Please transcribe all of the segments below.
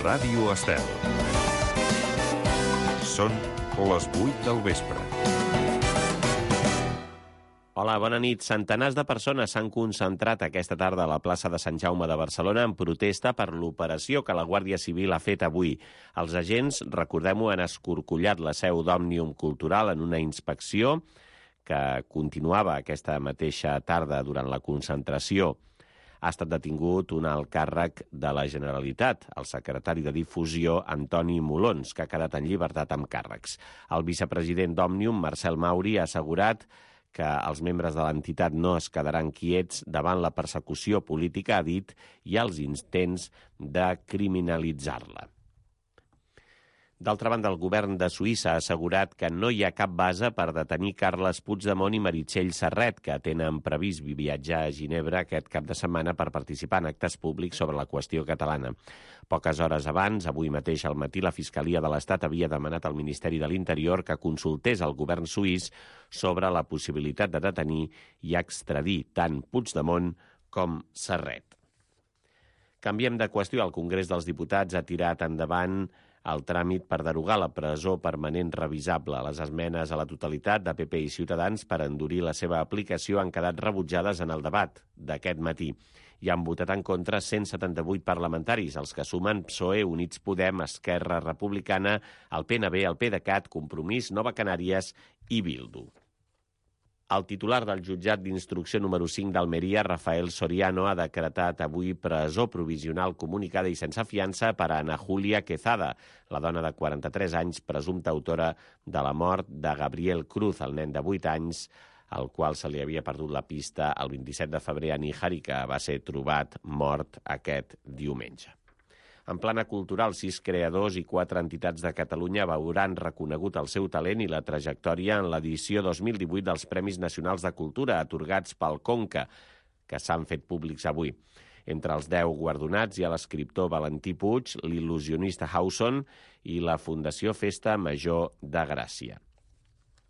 Ràdio Estel. Són les 8 del vespre. Hola, bona nit. Centenars de persones s'han concentrat aquesta tarda a la plaça de Sant Jaume de Barcelona en protesta per l'operació que la Guàrdia Civil ha fet avui. Els agents, recordem-ho, han escorcollat la seu d'Òmnium Cultural en una inspecció que continuava aquesta mateixa tarda durant la concentració. Ha estat detingut un alt càrrec de la Generalitat, el secretari de Difusió, Antoni Molons, que ha quedat en llibertat amb càrrecs. El vicepresident d'Òmnium, Marcel Mauri, ha assegurat que els membres de l'entitat no es quedaran quiets davant la persecució política, ha dit, i els intents de criminalitzar-la. D'altra banda, el govern de Suïssa ha assegurat que no hi ha cap base per detenir Carles Puigdemont i Meritxell Serret, que tenen previst viatjar a Ginebra aquest cap de setmana per participar en actes públics sobre la qüestió catalana. Poques hores abans, avui mateix al matí, la Fiscalia de l'Estat havia demanat al Ministeri de l'Interior que consultés el govern suís sobre la possibilitat de detenir i extradir tant Puigdemont com Serret. Canviem de qüestió. El Congrés dels Diputats ha tirat endavant el tràmit per derogar la presó permanent revisable. Les esmenes a la totalitat de PP i Ciutadans per endurir la seva aplicació han quedat rebutjades en el debat d'aquest matí. Hi han votat en contra 178 parlamentaris, els que sumen PSOE, Units Podem, Esquerra Republicana, el PNB, el PDeCAT, Compromís, Nova Canàries i Bildu. El titular del jutjat d'instrucció número 5 d'Almeria, Rafael Soriano, ha decretat avui presó provisional comunicada i sense fiança per a Ana Julia Quezada, la dona de 43 anys, presumpta autora de la mort de Gabriel Cruz, el nen de 8 anys, al qual se li havia perdut la pista el 27 de febrer a Níjar i que va ser trobat mort aquest diumenge. En plana cultural, 6 creadors i 4 entitats de Catalunya veuran reconegut el seu talent i la trajectòria en l'edició 2018 dels Premis Nacionals de Cultura atorgats pel Conca, que s'han fet públics avui. Entre els 10 guardonats hi ha l'escriptor Valentí Puig, l'il·lusionista Hauson i la Fundació Festa Major de Gràcia.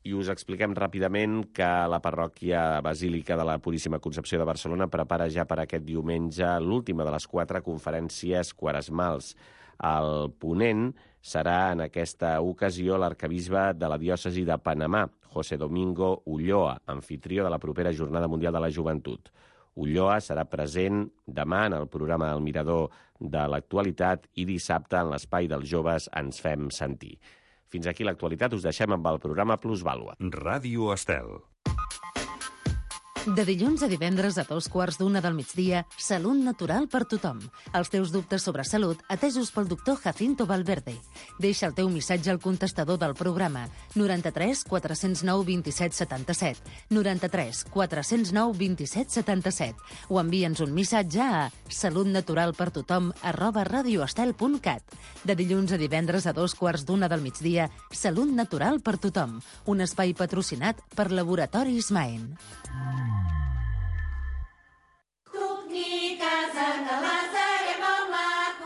I us expliquem ràpidament que la parròquia Basílica de la Puríssima Concepció de Barcelona prepara ja per aquest diumenge l'última de les 4 conferències quaresmals. El ponent serà en aquesta ocasió l'arquebisbe de la diòcesi de Panamà, José Domingo Ulloa, anfitrió de la propera Jornada Mundial de la Joventut. Ulloa serà present demà en el programa El Mirador de l'Actualitat i dissabte en l'Espai dels Joves Ens Fem Sentir. Fins aquí l'actualitat, us deixem amb el programa Plusvàlua. Ràdio Estel. De dilluns a divendres a 2:15 del migdia, Salut Natural per tothom. Els teus dubtes sobre salut atesos pel doctor Jacinto Valverde. Deixa el teu missatge al contestador del programa 93 409 27 77, 93 409 27 77 o envia'ns un missatge a salutnaturalpertothom@radioestel.cat. De dilluns a divendres a 2:15 del migdia, Salut Natural per tothom. Un espai patrocinat per Laboratoris Maen.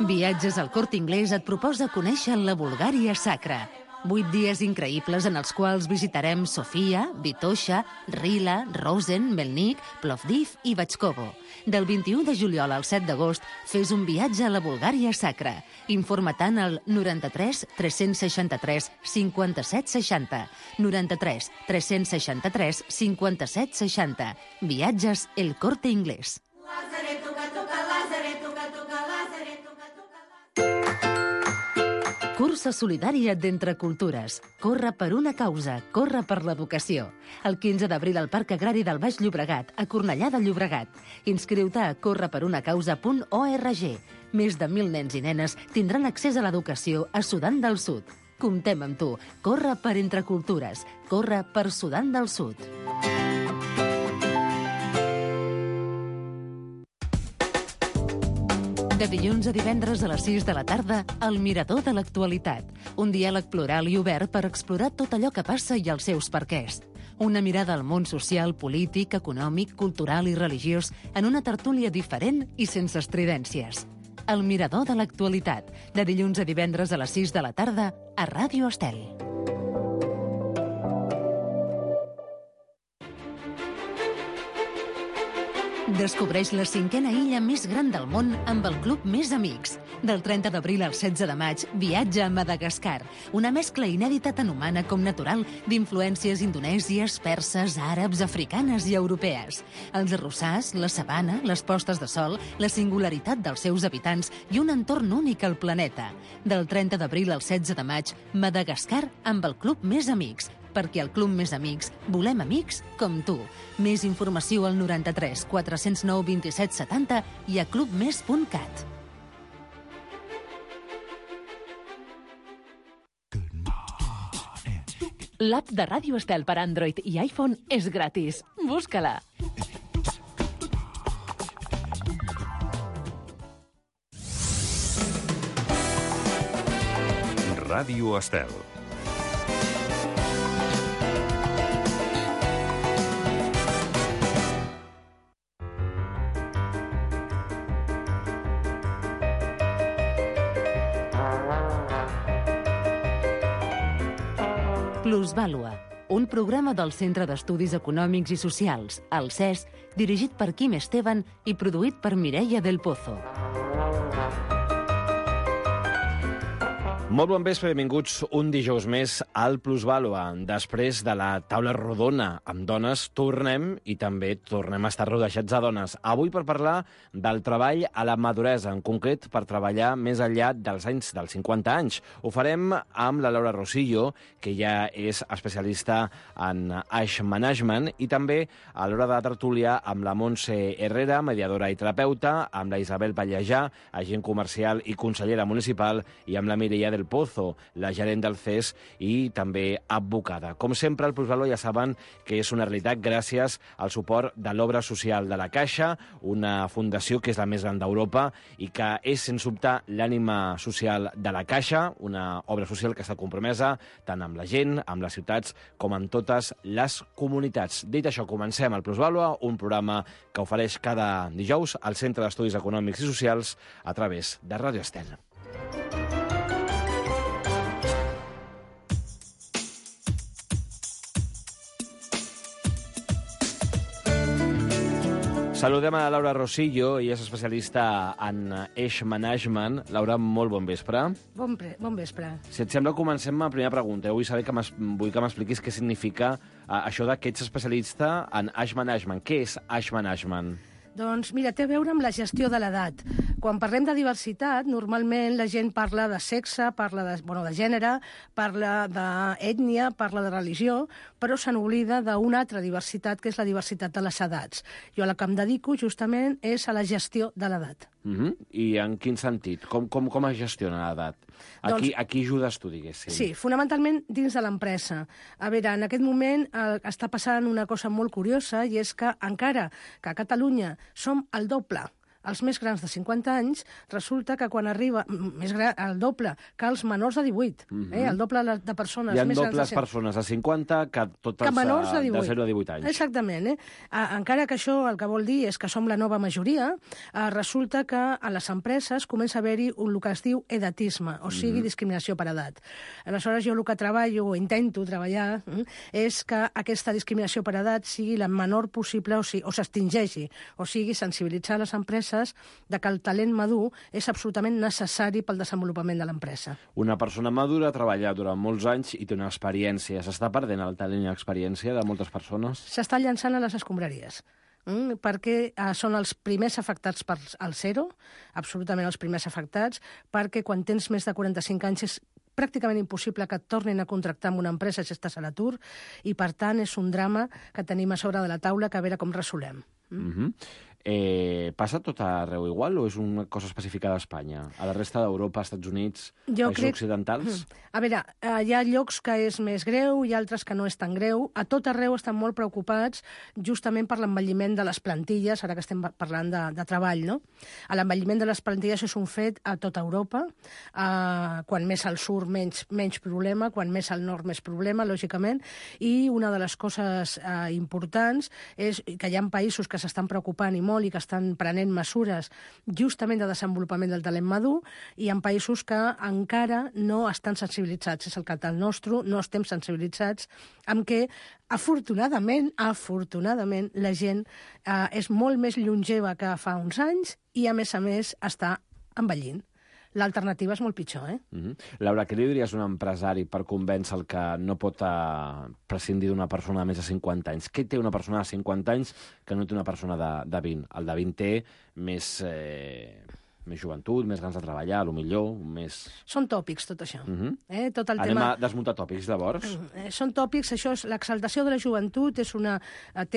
Viatges al Corte Inglés et proposa conèixer la Bulgària sacra. 8 dies increïbles en els quals visitarem Sofia, Vitoša, Rila, Rosen, Melnik, Plovdiv i Batxkovo. Del 21 de juliol al 7 d'agost fes un viatge a la Bulgària sacra. Informa-te'n al 93 363 57 60. 93 363 57 60. Viatges El Corte Inglés. Cursa solidària d'Entre Cultures. Corre per una causa, corre per l'educació. El 15 d'abril al Parc Agrari del Baix Llobregat, a Cornellà de Llobregat. Inscriu-te a correperunacausa.org. Més de 1.000 nens i nenes tindran accés a l'educació a Sudan del Sud. Comptem amb tu. Corre per Entre Cultures. Corre per Sudan del Sud. De dilluns a divendres a les 6 de la tarda, El Mirador de l'Actualitat. Un diàleg plural i obert per explorar tot allò que passa i els seus perquès. Una mirada al món social, polític, econòmic, cultural i religiós en una tertúlia diferent i sense estridències. El Mirador de l'Actualitat. De dilluns a divendres a les 6 de la tarda a Ràdio Estel. Descobreix la 5a illa més gran del món amb el Club Més Amics. Del 30 d'abril al 16 de maig, viatja a Madagascar, una mescla inèdita tant humana com natural d'influències indonèsies, perses, àrabs, africanes i europees. Els arrossars, la sabana, les postes de sol, la singularitat dels seus habitants i un entorn únic al planeta. Del 30 d'abril al 16 de maig, Madagascar amb el Club Més Amics, perquè al Club Més Amics volem amics com tu. Més informació al 93 409 27 70 i a clubmes.cat. L'app de Ràdio Estel per Android i iPhone és gratis. Busca-la. Ràdio Estel. Plusvàlua, un programa del Centre d'Estudis Econòmics i Socials, el CES, dirigit per Quim Esteban i produït per Mireia del Pozo. Molt bon vespre, benvinguts un dijous més al Plusvàlua. Després de la taula rodona amb dones, tornem i també tornem a estar rodejats de dones. Avui per parlar del treball a la maduresa, en concret per treballar més enllà dels anys dels 50 anys. Ho farem amb la Laura Rosillo, que ja és especialista en age management, i també a l'hora de tertúlia amb la Montse Herrera, mediadora i terapeuta, amb la Isabel Pallejà, agent comercial i consellera municipal, i amb la Mireia del Pozo, la gerent del CES i també advocada. Com sempre, el Plusvàlua ja saben que és una realitat gràcies al suport de l'Obra Social de la Caixa, una fundació que és la més gran d'Europa i que és, sens dubte, l'ànima social de la Caixa, una obra social que està compromesa tant amb la gent, amb les ciutats, com amb totes les comunitats. Dit això, comencem el Plusvàlua, un programa que ofereix cada dijous al Centre d'Estudis Econòmics i Socials a través de Ràdio Estel. Saludem a la Laura Rosillo, ella és especialista en age management. Laura, molt bon vespre. Bon vespre. Si et sembla, comencem amb la primera pregunta. Vull saber vull que m'expliquis què significa això que ets especialista en age management. Què és age management? Doncs mira, té a veure amb la gestió de l'edat. Quan parlem de diversitat, normalment la gent parla de sexe, parla de gènere, parla d'ètnia, parla de religió, però se n'oblida d'una altra diversitat, que és la diversitat de les edats. Jo a la que em dedico justament és a la gestió de l'edat. I en quin sentit? Com es gestiona l'edat? A qui ajudes tu, diguéssim? Sí, fonamentalment dins de l'empresa. A veure, en aquest moment està passant una cosa molt curiosa, i és que encara que a Catalunya som el doble els més grans de 50 anys, resulta que quan arriba el doble que els menors de 18, el doble de persones més grans de 50. Hi ha dobles persones de 50 que totes menors de 0 a 18 anys. Exactament. Encara que això el que vol dir és que som la nova majoria, resulta que a les empreses comença a haver-hi el que es diu edatisme, o sigui, discriminació per edat. Aleshores, jo el que treballo, o intento treballar, és que aquesta discriminació per edat sigui la menor possible o s'extingeixi, o sigui, sensibilitzar les empreses de que el talent madur és absolutament necessari pel desenvolupament de l'empresa. Una persona madura ha treballat durant molts anys i té una experiència. S'està perdent el talent i l'experiència de moltes persones? S'està llançant a les escombraries. Perquè són els primers afectats per el zero, absolutament els primers afectats, perquè quan tens més de 45 anys és pràcticament impossible que et tornin a contractar en una empresa si estàs a l'atur, i per tant és un drama que tenim a sobre de la taula, que a veure com resolem. Passa tot arreu igual o és una cosa específica d'Espanya? A la resta d'Europa, Estats Units, països occidentals? A veure, hi ha llocs que és més greu i altres que no és tan greu. A tot arreu estan molt preocupats justament per l'envelliment de les plantilles, ara que estem parlant de treball, no? L'envelliment de les plantilles és un fet a tota Europa. Quan més al sud, menys problema, quan més al nord, més problema, lògicament. I una de les coses importants és que hi ha països que s'estan preocupant i molt i que estan prenent mesures justament de desenvolupament del talent madur, i en països que encara no estan sensibilitzats. És el cas del nostre, no estem sensibilitzats amb què, afortunadament, la gent és molt més longeva que fa uns anys i, a més, està envellint. L'alternativa és molt pitjor, Laura, què li diries a un empresari per convèncer el que no pot prescindir d'una persona de més de 50 anys? Què té una persona de 50 anys que no té una persona de 20? El de 20 té més joventut, més ganes de treballar, millor, més... Són tòpics, tot això. Tot el Anem tema... a desmuntar tòpics, llavors? Són tòpics, això és l'exaltació de la joventut, té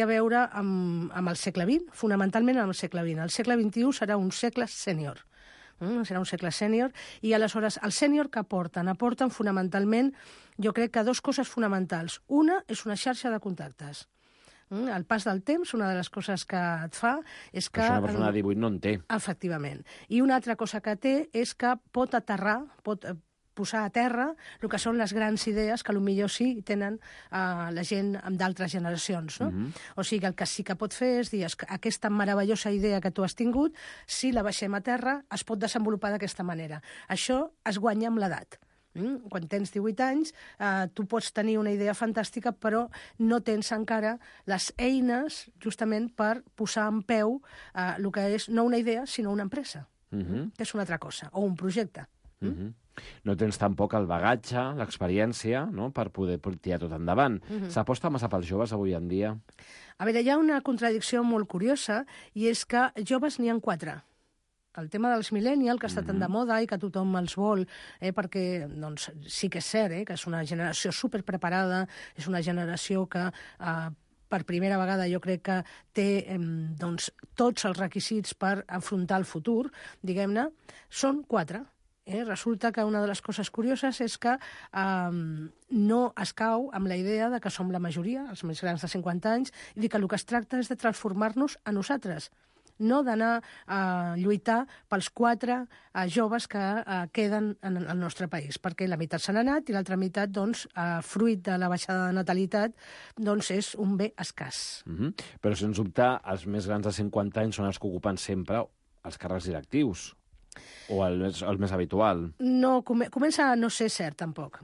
a veure amb el segle XX, fonamentalment amb el segle XX. El segle XXI serà un segle sènior. Serà un segle sènior, i aleshores el sènior que aporten? Aporten fonamentalment, jo crec que dues coses fonamentals. Una és una xarxa de contactes. El pas del temps, una de les coses que et fa és que... Això una persona de 18 no en té. Efectivament. I una altra cosa que té és que pot aterrar, pot posar a terra el que són les grans idees que potser sí tenen la gent d'altres generacions. No? O sigui, el que sí que pot fer és dir que aquesta meravellosa idea que tu has tingut, si la baixem a terra, es pot desenvolupar d'aquesta manera. Això es guanya amb l'edat. Quan tens 18 anys, tu pots tenir una idea fantàstica, però no tens encara les eines justament per posar en peu el que és no una idea, sinó una empresa, que és una altra cosa, o un projecte. No tens tampoc el bagatge, l'experiència, no?, per poder tirar tot endavant. S'aposta massa pels joves avui en dia? A veure, hi ha una contradicció molt curiosa, i és que joves n'hi ha 4. El tema dels millennials, que està tan de moda i que tothom els vol, perquè doncs, sí que és cert que és una generació superpreparada, és una generació que per primera vegada jo crec que té doncs, tots els requisits per enfrontar el futur, diguem-ne, són 4. Resulta que una de les coses curioses és que no es cau amb la idea de que som la majoria, els més grans de 50 anys, i que el que es tracta és de transformar-nos a nosaltres, no d'anar a lluitar pels 4 joves que queden en el nostre país, perquè la meitat se n'ha anat i l'altra meitat, doncs, fruit de la baixada de natalitat, doncs és un bé escàs. Però, sens dubte, els més grans de 50 anys són els que ocupen sempre els càrrecs directius. O el més habitual? No, comença a no ser cert, tampoc.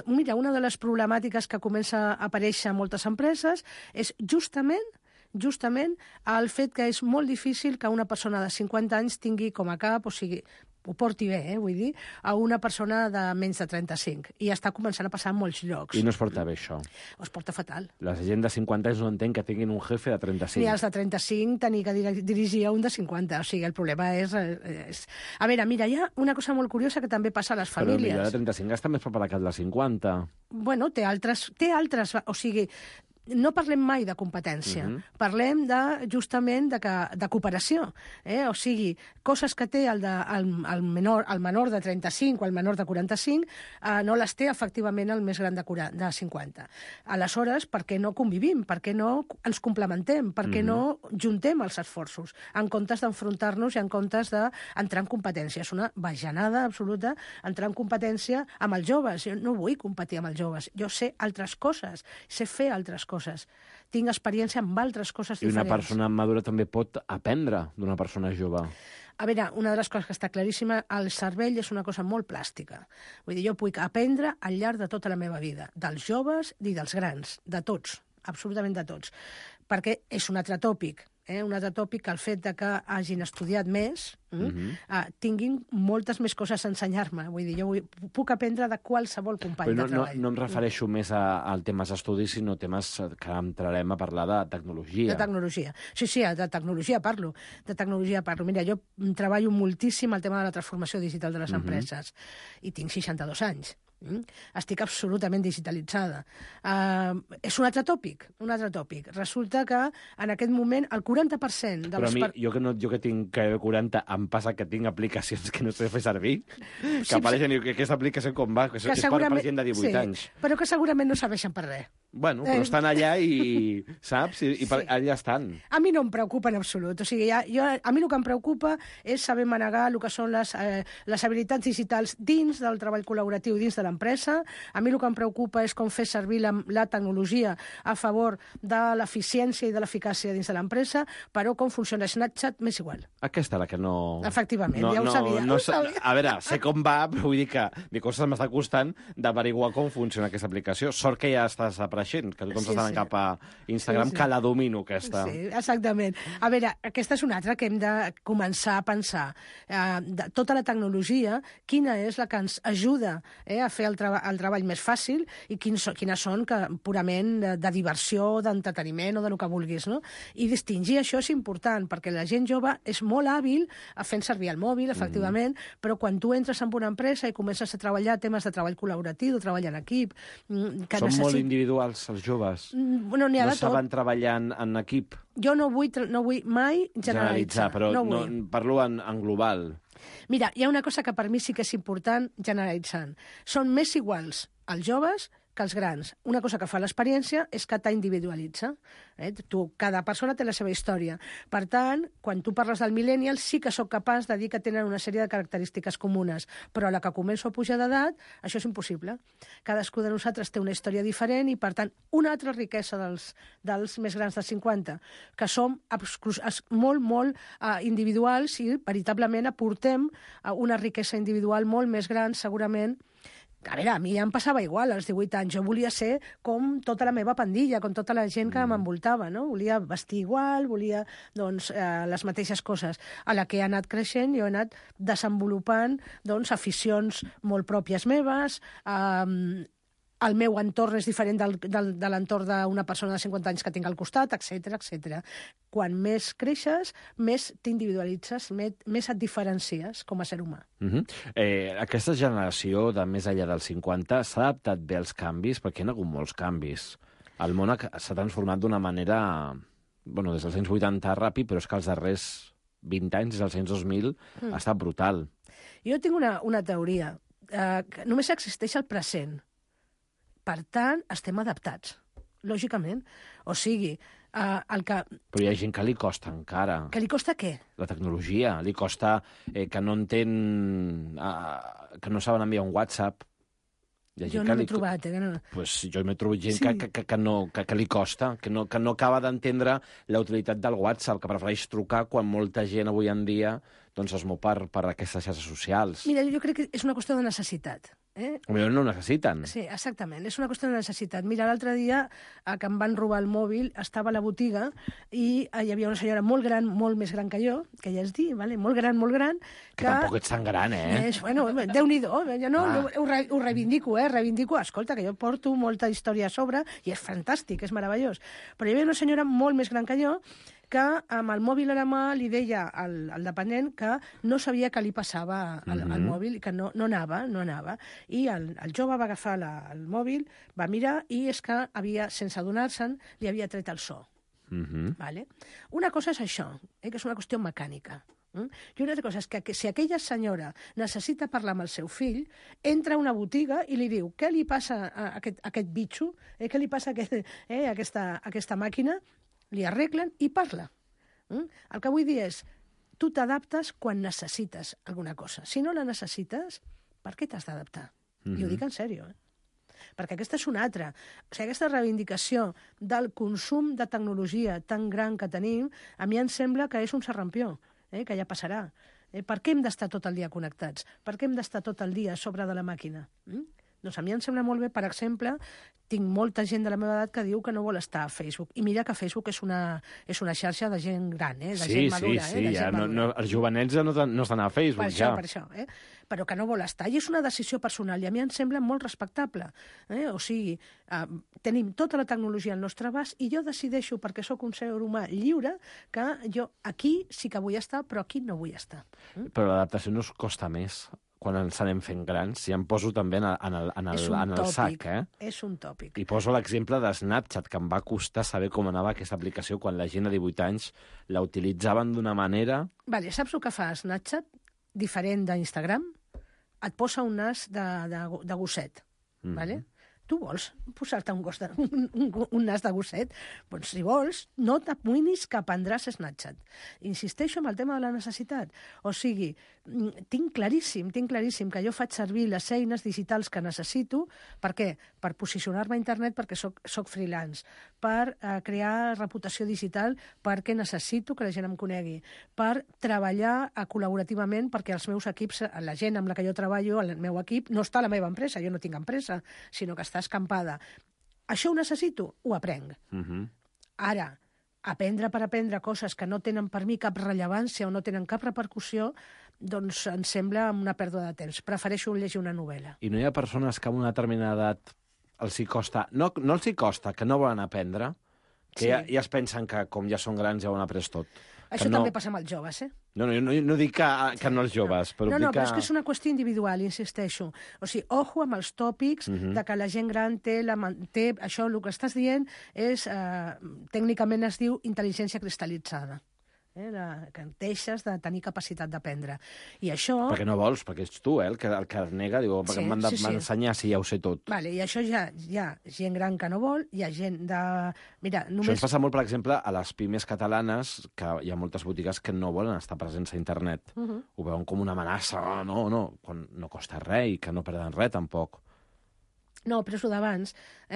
Mira, una de les problemàtiques que comença a aparèixer a moltes empreses és justament el fet que és molt difícil que una persona de 50 anys tingui com a cap, o sigui, ho porti bé, vull dir, a una persona de menys de 35. I està començant a passar en molts llocs. I no es porta bé, això? Es porta fatal. La gent de 50 anys no entén que tinguin un jefe de 35. Ni els de 35 tenir que dirigir a un de 50. O sigui, el problema és... A veure, mira, hi ha una cosa molt curiosa que també passa a les famílies. Però el de 35 està més preparat que el de 50. Bueno, té altres... O sigui, no parlem mai de competència, parlem justament de cooperació. O sigui, coses que té el menor de 35 o el menor de 45 no les té efectivament el més gran de 50. Aleshores, per què no convivim? Per què no ens complementem? Per què no juntem els esforços? En comptes d'enfrontar-nos i en comptes d'entrar en competència. És una bajanada absoluta entrar en competència amb els joves. Jo no vull competir amb els joves. Jo sé altres coses, sé fer altres coses. Tinc experiència amb altres coses diferents. I una persona madura també pot aprendre d'una persona jove. A veure, una de les coses que està claríssima, el cervell és una cosa molt plàstica. Vull dir, jo puc aprendre al llarg de tota la meva vida, dels joves i dels grans, de tots, absolutament de tots. Perquè és un altre tòpic, que el fet de que hagin estudiat més tinguin moltes més coses a ensenyar-me. Vull dir, jo puc aprendre de qualsevol company de treball. No em refereixo més al temes d'estudis, sinó temes que entrarem a parlar de tecnologia. De tecnologia. Sí, de tecnologia parlo. Mira, jo treballo moltíssim el tema de la transformació digital de les empreses i tinc 62 anys. Estic absolutament digitalitzada. És un altre tòpic. Resulta que en aquest moment el 40% de les... Però a mi, jo que tinc 40, em passa que tinc aplicacions que no sé fer servir, que apareixen i diu que aquesta aplicació com va, que és per gent de 18 anys. Però que segurament no serveixen per res. Bueno, però estan allà i, saps? I allà estan. A mi no em preocupa en absolut. O sigui, a mi el que em preocupa és saber manegar el que són les habilitats digitals dins del treball col·laboratiu, dins de l'empresa. A mi el que em preocupa és com fer servir la tecnologia a favor de l'eficiència i de l'eficàcia dins de l'empresa, però com funciona Snapchat m'és igual. Aquesta la que no... Efectivament, ja ho sabia. A veure, sé com va, però vull dir que m'està costant d'averiguar com funciona aquesta aplicació. Sort que ja estàs apareixent, que tothom s'està anant cap a Instagram, que la domino, aquesta. Sí, exactament. A veure, aquesta és una altra que hem de començar a pensar. De tota la tecnologia, quina és la que ens ajuda a fer el treball més fàcil i quines són purament de diversió, d'entreteniment o del que vulguis, no? I distingir això és important, perquè la gent jove és molt hàbil a fent servir el mòbil, efectivament, però quan tu entres en una empresa i comences a treballar temes de treball col·laboratiu, de treball en equip... Són molt individuals, els joves. Bueno, n'hi ha de tot. No saben treballar en equip. Jo no vull mai generalitzar. Però no, parlo en global. Mira, hi ha una cosa que per mi sí que és important generalitzant. Són més iguals els joves que els grans. Una cosa que fa l'experiència és que t'individualitza. Cada persona té la seva història. Per tant, quan tu parles del millennial, sí que sóc capaç de dir que tenen una sèrie de característiques comunes, però a la que començo a pujar d'edat, això és impossible. Cadascú de nosaltres té una història diferent i, per tant, una altra riquesa dels més grans de 50, que som molt individuals i veritablement aportem una riquesa individual molt més gran, segurament. A veure, a mi ja em passava igual, als 18 anys. Jo volia ser com tota la meva pandilla, com tota la gent que m'envoltava, no? Volia vestir igual, volia, les mateixes coses. A la que he anat creixent, jo he anat desenvolupant, aficions molt pròpies meves, el meu entorn és diferent de l'entorn d'una persona de 50 anys que tinc al costat, etc. Quan més creixes, més t'individualitzes, més et diferencies com a ser humà. Aquesta generació de més enllà dels 50 s'ha adaptat bé als canvis, perquè hi ha hagut molts canvis. El món s'ha transformat d'una manera, des dels anys 80 ràpid, però és que els darrers 20 anys, des dels anys 2000, ha estat brutal. Jo tinc una teoria, que només existeix el present. Per tant, estem adaptats, lògicament. O sigui, el que... Però hi ha gent que li costa encara. Que li costa què? La tecnologia. Li costa que no entén... que no saben enviar un WhatsApp. Jo no l'he trobat, Pues jo m'he trobat gent que li costa, que no acaba d'entendre la utilitat del WhatsApp, que prefereix trucar quan molta gent avui en dia es mou per aquestes xarxes socials. Mira, jo crec que és una qüestió de necessitat. Potser no ho necessiten. Sí, exactament, és una qüestió de necessitat. Mira, l'altre dia que em van robar el mòbil, estava a la botiga i hi havia una senyora molt gran, molt més gran que jo, que ja és dir, molt gran... Que tampoc ets tan gran, Bueno, Déu-n'hi-do, jo no, ho reivindico, reivindico. Escolta, que jo porto molta història a sobre i és fantàstic, és meravellós. Però hi havia una senyora molt més gran que jo que amb el mòbil a la mà li deia al dependent que no sabia què li passava al mòbil i que no anava. I el jove va agafar el mòbil, va mirar i és que sense adonar-se'n, li havia tret el so. Vale? Una cosa és això, que és una qüestió mecànica. I una altra cosa és que si aquella senyora necessita parlar amb el seu fill, entra a una botiga i li diu què li passa a aquest bitxo, què li passa a aquesta màquina, li arreglen i parla. El que vull dir és, tu t'adaptes quan necessites alguna cosa. Si no la necessites, per què t'has d'adaptar? I ho dic en sèrio, perquè aquesta és una altra. O sigui, aquesta reivindicació del consum de tecnologia tan gran que tenim, a mi em sembla que és un serrampió, que ja passarà. Per què hem d'estar tot el dia connectats? Per què hem d'estar tot el dia a sobre de la màquina? Doncs a mi em sembla molt bé, per exemple, tinc molta gent de la meva edat que diu que no vol estar a Facebook. I mira que Facebook és una xarxa de gent gran, de gent madura. Sí, els jovenets no estan a Facebook, Per això. Però que no vol estar. I és una decisió personal, i a mi em sembla molt respectable. O sigui, tenim tota la tecnologia al nostre abast i jo decideixo, perquè sóc un ser humà lliure, que jo aquí sí que vull estar, però aquí no vull estar. Però l'adaptació no us costa més quan ens anem fent grans, si em poso també en el sac. És un tòpic. I poso l'exemple de Snapchat, que em va costar saber com anava aquesta aplicació quan la gent de 18 anys la utilitzaven d'una manera... Vale, saps el que fa Snapchat? Diferent d'Instagram? Et posa un nas de gosset. Vale? Tu vols posar-te un nas de gosset? Doncs si vols, no t'amoïnis que aprendràs Snapchat. Insisteixo en el tema de la necessitat. O sigui, tinc claríssim que jo faig servir les eines digitals que necessito. Per què? Per posicionar-me a internet perquè soc freelance, per crear reputació digital perquè necessito que la gent em conegui, per treballar col·laborativament perquè els meus equips, la gent amb la que jo treballo, el meu equip, no està a la meva empresa, jo no tinc empresa, sinó que està escampada. Això ho necessito? Ho aprenc. Ara, aprendre per aprendre coses que no tenen per mi cap rellevància o no tenen cap repercussió, doncs em sembla una pèrdua de temps. Prefereixo llegir una novel·la. I no hi ha persones que amb una determinada edat els hi costa... No els hi costa, que no volen aprendre, que ja es pensen que com ja són grans ja ho han après tot. Això també passa amb els joves, No, no dic que no els joves, però No, però és que és una qüestió individual, insisteixo. O sigui, ojo amb els tòpics de que la gent gran té... Això, el que estàs dient, tècnicament es diu intel·ligència cristal·litzada. Que deixes de tenir capacitat d'aprendre. I això... Perquè no vols, perquè ets tu, el que nega, diu, perquè m'han d'ensenyar si ja ho sé tot. Vale, i això ja hi ha gent gran que no vol, hi ha gent de... Mira, només... Això ens passa molt, per exemple, a les pimes catalanes, que hi ha moltes botigues que no volen estar presents a internet. Ho veuen com una amenaça, quan no costa res i que no perden res, tampoc. No, però és el d'abans.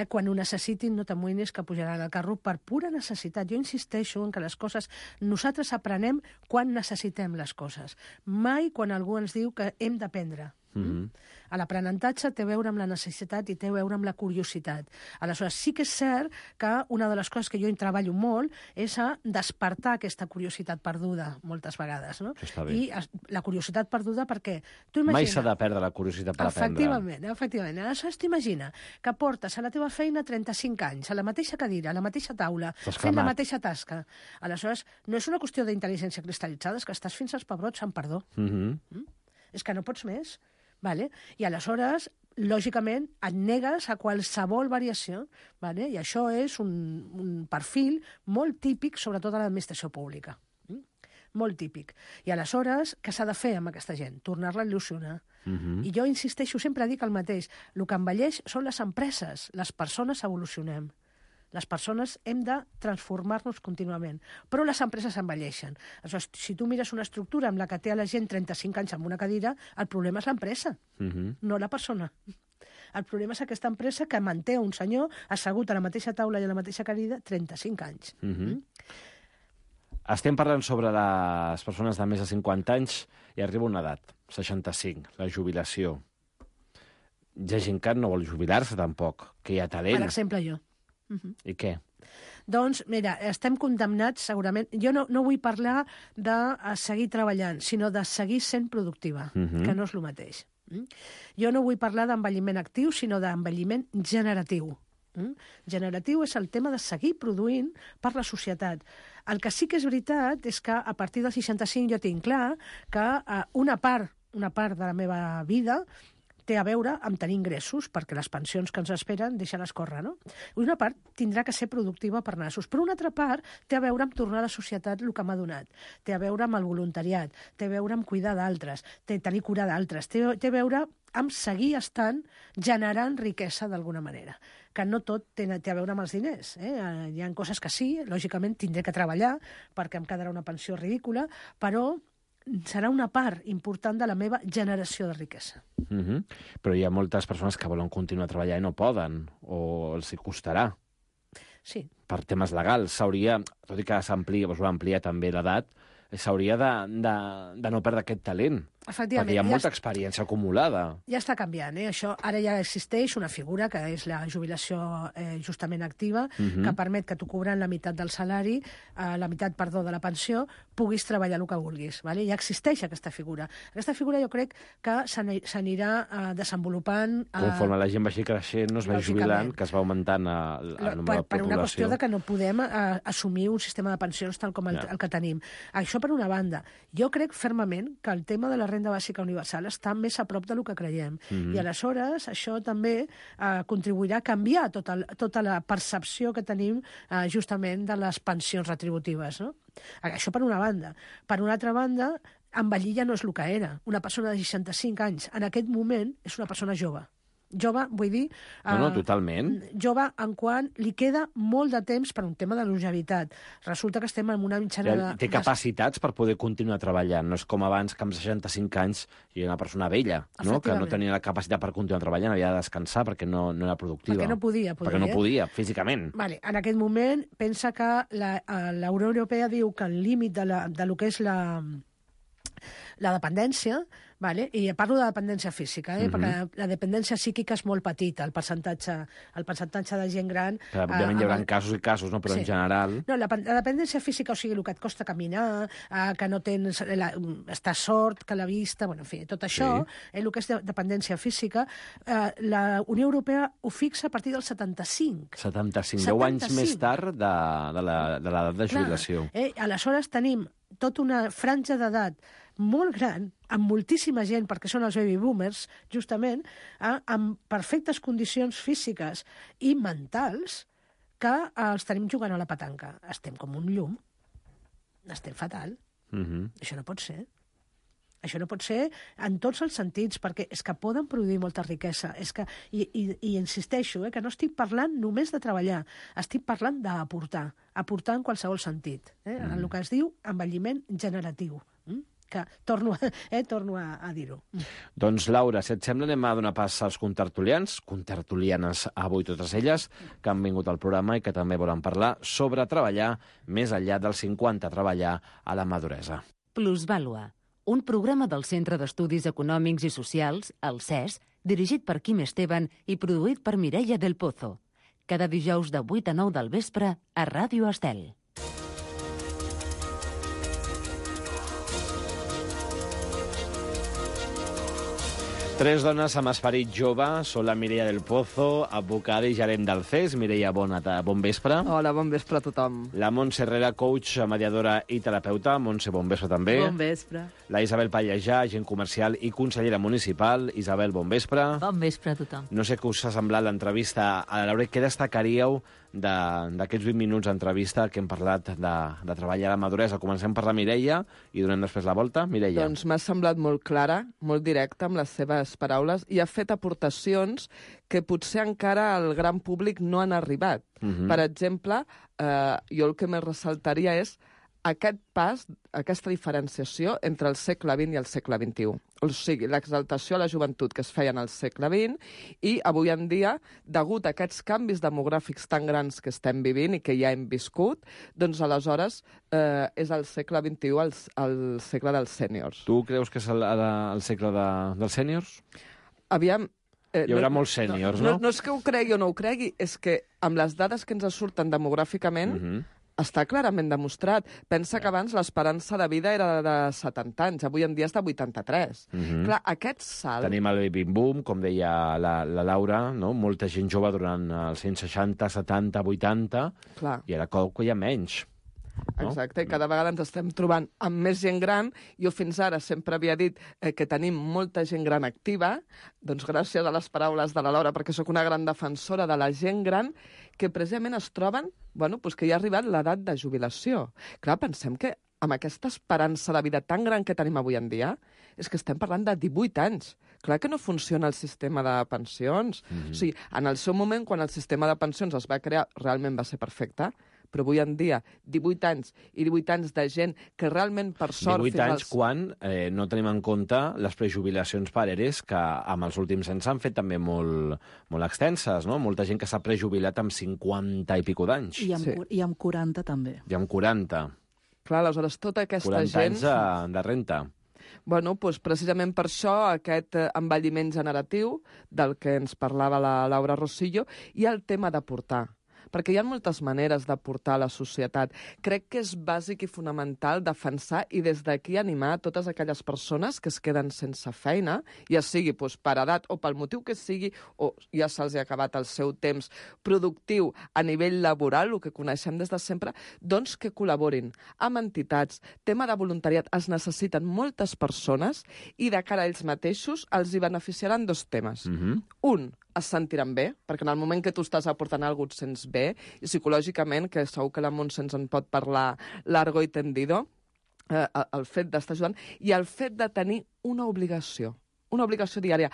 Quan ho necessitin, no t'amoïnis que pujaran al carro per pura necessitat. Jo insisteixo en que les coses... Nosaltres aprenem quan necessitem les coses. Mai quan algú ens diu que hem d'aprendre. L'aprenentatge té a veure amb la necessitat i té a veure amb la curiositat. Aleshores, sí que és cert que una de les coses que jo hi treballo molt és a despertar aquesta curiositat perduda, moltes vegades. No? I la curiositat perduda perquè... Mai s'ha de perdre la curiositat per aprendre. Efectivament. Aleshores, t'imagina que portes a la teva feina 35 anys, a la mateixa cadira, a la mateixa taula, fent la mateixa tasca. Aleshores, no és una qüestió d'intel·ligència cristal·litzada, és que estàs fins als pebrots, amb perdó. És que no pots més. Vale? I aleshores, lògicament, et negues a qualsevol variació, vale? I això és un perfil molt típic, sobretot a l'administració pública. Molt típic. I aleshores, què s'ha de fer amb aquesta gent? Tornar-la a il·lusionar. I jo insisteixo, sempre dic el mateix. El que envelleix són les empreses. Les persones evolucionem. Les persones hem de transformar-nos contínuament. Però les empreses envelleixen. Aleshores, si tu mires una estructura amb la que té a la gent 35 anys amb una cadira, el problema és l'empresa, no la persona. El problema és aquesta empresa que manté un senyor assegut a la mateixa taula i a la mateixa cadira 35 anys. Estem parlant sobre les persones de més de 50 anys i arriba una edat, 65, la jubilació. Hi ha gent que no vol jubilar-se tampoc, que hi ha talent. Per exemple, jo. I què? Doncs, mira, estem condemnats, segurament... Jo no vull parlar de seguir treballant, sinó de seguir sent productiva, que no és el mateix. Jo no vull parlar d'envelliment actiu, sinó d'envelliment generatiu. Generatiu és el tema de seguir produint per la societat. El que sí que és veritat és que a partir dels 65 jo tinc clar que una part de la meva vida té a veure amb tenir ingressos, perquè les pensions que ens esperen deixen escórrer, no? Una part tindrà que ser productiva per nassos, però una altra part té a veure amb tornar a la societat el que m'ha donat, té a veure amb el voluntariat, té a veure amb cuidar d'altres, tenir cura d'altres, té a veure amb seguir estant generant riquesa d'alguna manera, que no tot té a veure amb els diners. Hi ha coses que sí, lògicament tindré que treballar perquè em quedarà una pensió ridícula, però serà una part important de la meva generació de riquesa. Però hi ha moltes persones que volen continuar treballant i no poden, o els hi costarà. Sí. Per temes legals. S'hauria, tot i que s'amplia, es va ampliar també l'edat, s'hauria de no perdre aquest talent. Efectivament. Perquè hi ha molta experiència acumulada. Ja està canviant, Això ara ja existeix una figura que és la jubilació justament activa, que permet que tu cobrant la meitat del salari, la meitat, perdó, de la pensió, puguis treballar el que vulguis. Vale? Ja existeix aquesta figura. Aquesta figura jo crec que s'anirà desenvolupant... Conforme la gent vagi creixent, no es va jubilant, que es va augmentant el nombre de població. Per una qüestió de que no podem assumir un sistema de pensions tal com el que tenim. Això per una banda. Jo crec fermament que el tema de la renda bàsica universal està més a prop del que creiem. I aleshores això també contribuirà a canviar tota la percepció que tenim justament de les pensions retributives. No? Això per una banda. Per una altra banda, envellir ja no és el que era. Una persona de 65 anys en aquest moment és una persona jove. jove, vull dir... No, totalment. Jove en quant li queda molt de temps per un tema de longevitat. Resulta que estem en una mitjana... Té capacitats per poder continuar treballant. No és com abans, que amb 65 anys hi ha una persona vella, no? Que no tenia la capacitat per continuar treballant, havia de descansar perquè no era productiva. Perquè no podia. Perquè no podia, físicament. Vale. En aquest moment, pensa que la Unió Europea diu que el límit de lo que és la dependència, vale? I parlo de dependència física, perquè la dependència psíquica és molt petita, el percentatge de gent gran... Clar, òbviament hi haurà casos i casos, no? Però en general... No, la dependència física, o sigui, el que et costa caminar, que no tens... estàs sord, que la vista... Bueno, en fi, tot això, el que és dependència física, la Unió Europea ho fixa a partir del 75. 10 anys més tard de l'edat de jubilació. Aleshores tenim tota una franja d'edat molt gran, amb moltíssima gent, perquè són els baby boomers, justament, amb perfectes condicions físiques i mentals, que els tenim jugant a la petanca. Estem com un llum. Estem fatal. Això no pot ser. Això no pot ser en tots els sentits, perquè és que poden produir molta riquesa. I insisteixo, que no estic parlant només de treballar, estic parlant d'aportar, aportar en qualsevol sentit. En el que es diu envelliment generatiu. Que torno a dir-ho. Doncs, Laura, si et sembla, anem a donar pas als contertulianes avui totes elles, que han vingut al programa i que també volen parlar sobre treballar més enllà dels 50, treballar a la maduresa. Plusvàlua, un programa del Centre d'Estudis Econòmics i Socials, el CES, dirigit per Quim Esteban i produït per Mireia del Pozo. Cada dijous de 8 a 9 del vespre a Ràdio Estel. Tres dones amb esperit jove són la Mireia del Pozo, advocada i gerent del CES. Mireia, bon vespre. Hola, bon vespre a tothom. La Montse Herrera, coach, mediadora i terapeuta. Montse, bon vespre també. Bon vespre. La Isabel Pallejà, agent comercial i consellera municipal. Isabel, bon vespre. Bon vespre a tothom. No sé què us ha semblat l'entrevista a la Laura. Què destacaríeu d'aquests 20 minuts d'entrevista que hem parlat de treballar a la maduresa? Comencem per la Mireia i donem després la volta. Mireia. Doncs m'ha semblat molt clara, molt directa amb les seves paraules i ha fet aportacions que potser encara al gran públic no han arribat. Per exemple, jo el que més ressaltaria és aquest pas, aquesta diferenciació entre el segle XX i el segle XXI. O sigui, l'exaltació a la joventut que es feia en el segle XX i avui en dia, degut a aquests canvis demogràfics tan grans que estem vivint i que ja hem viscut, doncs aleshores és el segle XXI el segle dels sèniors. Tu creus que és el segle dels sèniors? Aviam... Hi haurà molts sèniors, no? No és que ho cregui o no ho cregui, és que amb les dades que ens surten demogràficament està clarament demostrat. Pensa que abans l'esperança de vida era de 70 anys, avui en dia és de 83. Clar, aquest salt... Tenim el baby boom, com deia la Laura, no? Molta gent jove durant els 160, 70, 80, Clar. I ara hi ha menys. No? Exacte, i cada vegada ens estem trobant amb més gent gran. Jo fins ara sempre havia dit que tenim molta gent gran activa, doncs gràcies a les paraules de la Laura, perquè sóc una gran defensora de la gent gran, que precisament es troben, que ja ha arribat l'edat de jubilació. Clar, pensem que amb aquesta esperança de vida tan gran que tenim avui en dia, és que estem parlant de 18 anys. Clar que no funciona el sistema de pensions. O sigui, en el seu moment, quan el sistema de pensions es va crear, realment va ser perfecte, però avui en dia, 18 anys i 18 anys de gent que realment, per sort... 18 anys quan no tenim en compte les prejubilacions per ERES, que amb els últims anys s'han fet també molt extenses, no? Molta gent que s'ha prejubilat amb 50 i pico d'anys. I amb 40 també. I amb 40. Clar, aleshores, tota aquesta 40 gent... 40 anys de renta. Bueno, doncs precisament per això aquest envelliment generatiu del que ens parlava la Laura Rosillo i el tema d'aportar. Perquè hi ha moltes maneres d'aportar a la societat. Crec que és bàsic i fonamental defensar i des d'aquí animar totes aquelles persones que es queden sense feina, ja sigui per edat o pel motiu que sigui, o ja se'ls ha acabat el seu temps productiu a nivell laboral, el que coneixem des de sempre, doncs que col·laborin amb entitats. Tema de voluntariat, es necessiten moltes persones i de cara a ells mateixos els hi beneficiaran dos temes. Un, es sentiran bé, perquè en el moment que tu estàs aportant alguna cosa et sents bé, i psicològicament, que segur que la Montse ens en pot parlar largo i tendido, el fet d'estar ajudant, i el fet de tenir una obligació. una obligació diària.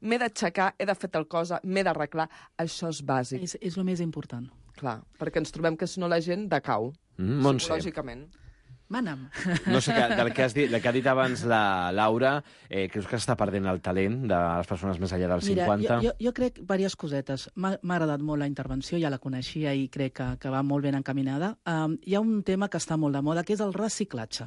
M'he d'aixecar, he de fer tal cosa, m'he d'arreglar. Això és bàsic. És el més important. Clar, perquè ens trobem que si no la gent decau, psicològicament. Mana'm. No sé, del que ha dit abans la Laura, creus que està perdent el talent de les persones més enllà dels 50? Mira, jo crec diverses cosetes. M'ha agradat molt la intervenció, ja la coneixia i crec que va molt ben encaminada. Hi ha un tema que està molt de moda, que és el reciclatge.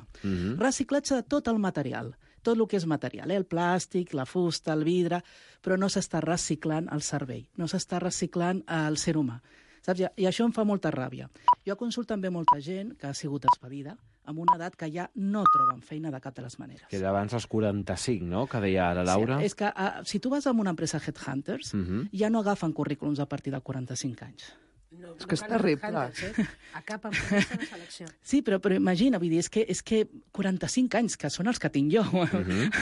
Reciclatge de tot el material, tot el que és material, el plàstic, la fusta, el vidre, però no s'està reciclant el cervell, no s'està reciclant el ser humà. Saps? I això em fa molta ràbia. Jo consulto també molta gent que ha sigut expedida amb una edat que ja no troben feina de cap de les maneres. Que era abans dels 45, no?, que deia la Laura. Sí, és que si tu vas a una empresa Headhunters, ja no agafen currículums a partir de 45 anys. No, és que és terrible. A cap empresa de selecció. Sí, però imagina, vull dir, és que 45 anys, que són els que tinc jo,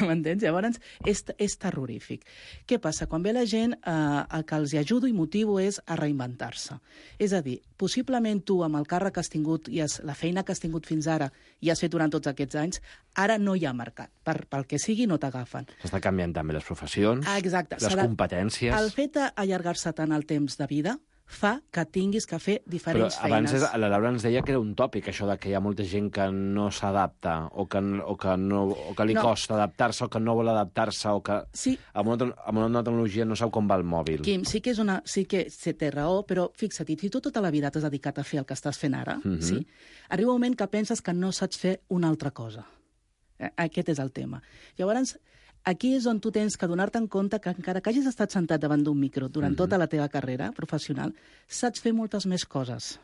m'entens? Llavors, és terrorífic. Què passa? Quan ve la gent, el que els ajudo i motivo és a reinventar-se. És a dir, possiblement tu, amb el càrrec que has tingut i la feina que has tingut fins ara i has fet durant tots aquests anys, ara no hi ha mercat. Pel que sigui, no t'agafen. S'està canviant també les professions, les competències. El fet d'allargar-se tant el temps de vida fa que tinguis que fer diferents feines. feines. Abans la Laura ens deia que era un tòpic, això de que hi ha molta gent que no s'adapta, o que li costa adaptar-se, o que no vol adaptar-se, o que amb una nova tecnologia no sap com va el mòbil. Quim, sí que té raó, però fixa't, si tu tota la vida t'has dedicat a fer el que estàs fent ara, sí, arriba un moment que penses que no saps fer una altra cosa. Aquest és el tema. Llavors, aquí és on tu tens que donar-te en compte que encara que hagis estat sentat davant d'un micro durant tota la teva carrera professional, saps fer moltes més coses.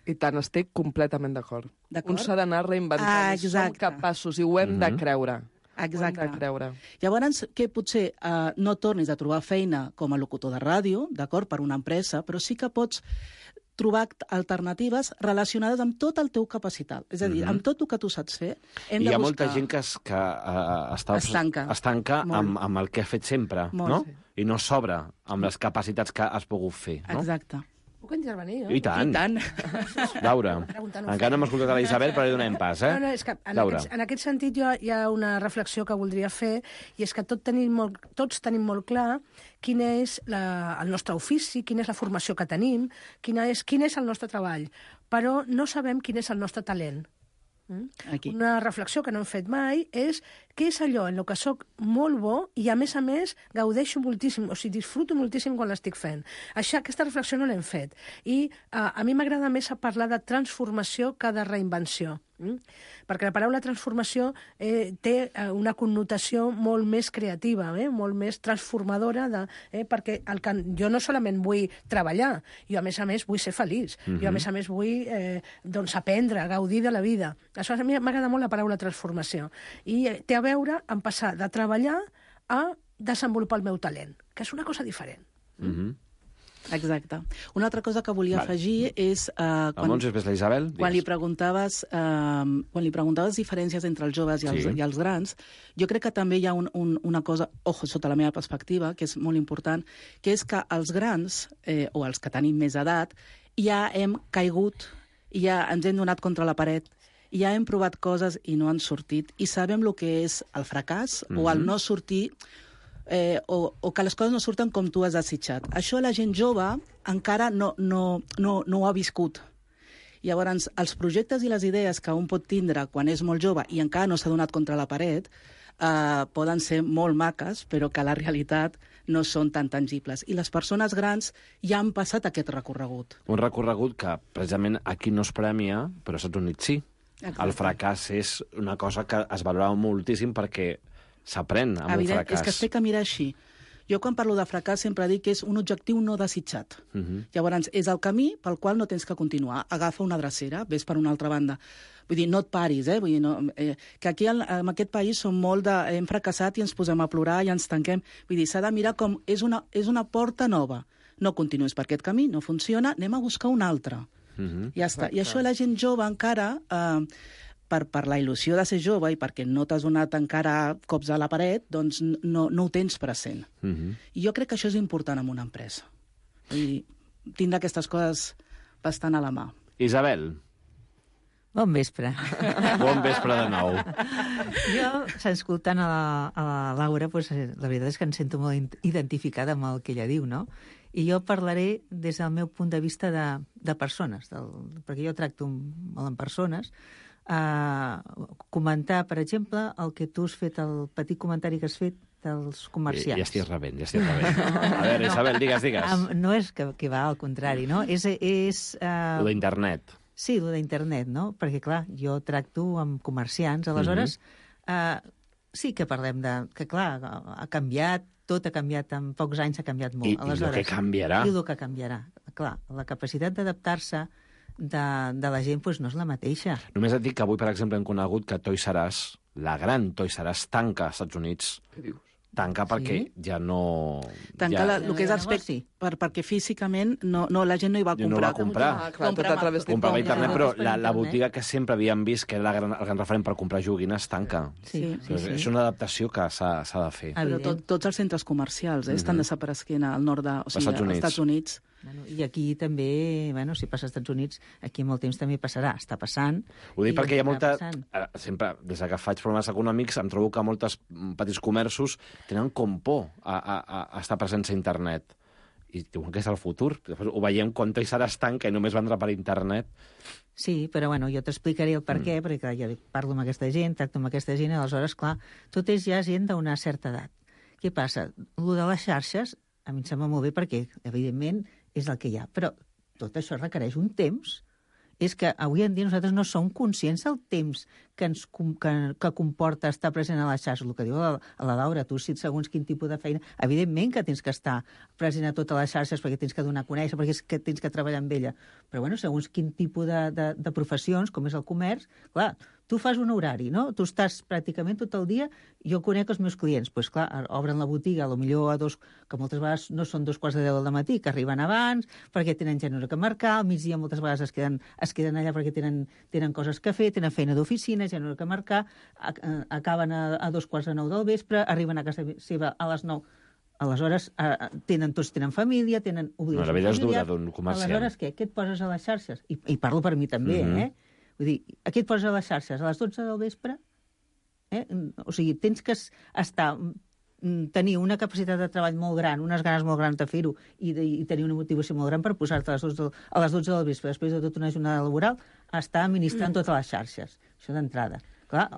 I tant, estic completament d'acord. Un s'ha d'anar reinventant, som capaços, i ho hem de creure. Exacte. Ho hem de creure. Llavors, que potser no tornis a trobar feina com a locutor de ràdio, d'acord, per una empresa, però sí que pots trobar alternatives relacionades amb tot el teu capacitat. És a dir, amb tot el que tu saps fer, hem de buscar... Hi ha molta gent que estanca amb el que ha fet sempre, no? I no s'obre amb les capacitats que has pogut fer, no? Exacte. Puc intervenir, no? I tant. Laura, encara no hem escoltat a la Isabel, però li donem pas, eh? No, és que en aquest sentit hi ha una reflexió que voldria fer, i és que tots tenim molt clar quin és el nostre ofici, quina és la formació que tenim, quin és el nostre treball, però no sabem quin és el nostre talent. Aquí. Una reflexió que no hem fet mai és què és allò en el que soc molt bo i, a més, gaudeixo moltíssim, o sigui, disfruto moltíssim quan l'estic fent. Aquesta reflexió no l'hem fet. I a mi m'agrada més parlar de transformació que de reinvenció. Perquè la paraula transformació té una connotació molt més creativa, molt més transformadora, perquè jo no solament vull treballar, jo a més vull ser feliç, jo a més vull aprendre, gaudir de la vida. Això a mi m'agrada molt la paraula transformació. I té a veure amb passar de treballar a desenvolupar el meu talent, que és una cosa diferent. Exacte. Una altra cosa que volia afegir és... Quan li preguntaves diferències entre els joves i els grans, jo crec que també hi ha una cosa, sota la meva perspectiva, que és molt important, que és que els grans, o els que tenim més edat, ja hem caigut, ja ens hem donat contra la paret, ja hem provat coses i no han sortit, i sabem el que és el fracàs o el no sortir, o que les coses no surten com tu has desitjat. Això la gent jove encara no ho ha viscut. Llavors, els projectes i les idees que un pot tindre quan és molt jove i encara no s'ha donat contra la paret poden ser molt maques, però que la realitat no són tan tangibles. I les persones grans ja han passat aquest recorregut. Un recorregut que, precisament, aquí no es premia, però als Estats Units sí. Exacte. El fracàs és una cosa que es valora moltíssim perquè s'aprèn amb un fracàs. És que es té que mirar així. Jo, quan parlo de fracàs, sempre dic que és un objectiu no desitjat. Llavors, és el camí pel qual no tens que continuar. Agafa una drecera, ves per una altra banda. Vull dir, no et paris, Vull dir, que aquí, en aquest país, som molt de... Hem fracassat i ens posem a plorar i ens tanquem. Vull dir, s'ha de mirar com... És una porta nova. No continuïs per aquest camí, no funciona, anem a buscar una altra. Ja està. I això la gent jove encara... Per la il·lusió de ser jove i perquè no t'has donat encara cops a la paret, doncs no ho tens present. I jo crec que això és important en una empresa. Vull dir, tindre aquestes coses bastant a la mà. Isabel. Bon vespre. Bon vespre de nou. Jo, escoltant a la Laura, doncs, la veritat és que em sento molt identificada amb el que ella diu, no? I jo parlaré des del meu punt de vista de persones, perquè jo tracto molt amb persones. Comentar, per exemple, el que tu has fet, el petit comentari que has fet dels comerciants. Ja estic rebent. A veure, Isabel, digues. No és que va al contrari, no? Lo d'internet. Sí, lo d'internet, no? Perquè, clar, jo tracto amb comerciants, aleshores sí que parlem que, clar, ha canviat, tot ha canviat, en pocs anys ha canviat molt. I el que canviarà. I el que canviarà. Clar, la capacitat d'adaptar-se de la gent no és la mateixa. Només et dic que avui, per exemple, hem conegut que Toys R Us, la gran Toys R Us, tanca als Estats Units. Què dius? Tanca perquè ja no... Tanca el que és aspecte, perquè físicament la gent no hi va comprar. No va comprar. Clar, tot a través de comprava a internet, però la botiga que sempre havíem vist, que era el gran referent per comprar joguines, tanca. Sí. És una adaptació que s'ha de fer. Però tots els centres comercials estan desapareguent al nord als Estats Units. I aquí també, si passa als Estats Units, aquí molt temps també passarà. Està passant. Ho dic perquè hi ha molta... Sempre, des que faig programes econòmics, em trobo que molts petits comerços tenen com por a estar presents a internet. I diuen que és el futur. Després ho veiem quan Toys R Us tanca i només vendrà per internet. Sí, però jo t'explicaré el per què, perquè clar, jo parlo amb aquesta gent, tracto amb aquesta gent, i aleshores, clar, tot és ja gent d'una certa edat. Què passa? Lo de les xarxes, a mi em sembla molt bé perquè, evidentment, és el que hi ha. Però tot això requereix un temps. És que avui en dia nosaltres no som conscients del temps que comporta estar present a les xarxes. El que diu la Laura, tu, si segons quin tipus de feina... Evidentment que tens que estar present a totes les xarxes perquè tens que donar a conèixer, perquè és que tens que treballar amb ella. Però, segons quin tipus de professions, com és el comerç, clar, tu fas un horari, no? Tu estàs pràcticament tot el dia... Jo conec els meus clients, doncs clar, obren la botiga, potser que moltes vegades no són 2:15 del matí, que arriben abans, perquè tenen gent que marcar, al migdia moltes vegades es queden allà perquè tenen coses que fer, tenen feina d'oficina, gent que marcar, acaben a 8:45 del vespre, arriben a casa seva a les 9. Aleshores, tots tenen família, tenen obligacions familiars. La vida és dura d'un comerciant. Aleshores, què et poses a les xarxes? I parlo per mi també, Vull dir, a què et poses a les xarxes? A les 12 del vespre? O sigui, tens que tenir una capacitat de treball molt gran, unes ganes molt grans de fer-ho i tenir una motivació molt gran per posar-te a les 12 del vespre, després de tota una jornada laboral, a estar administrant totes les xarxes. Això d'entrada. Clar,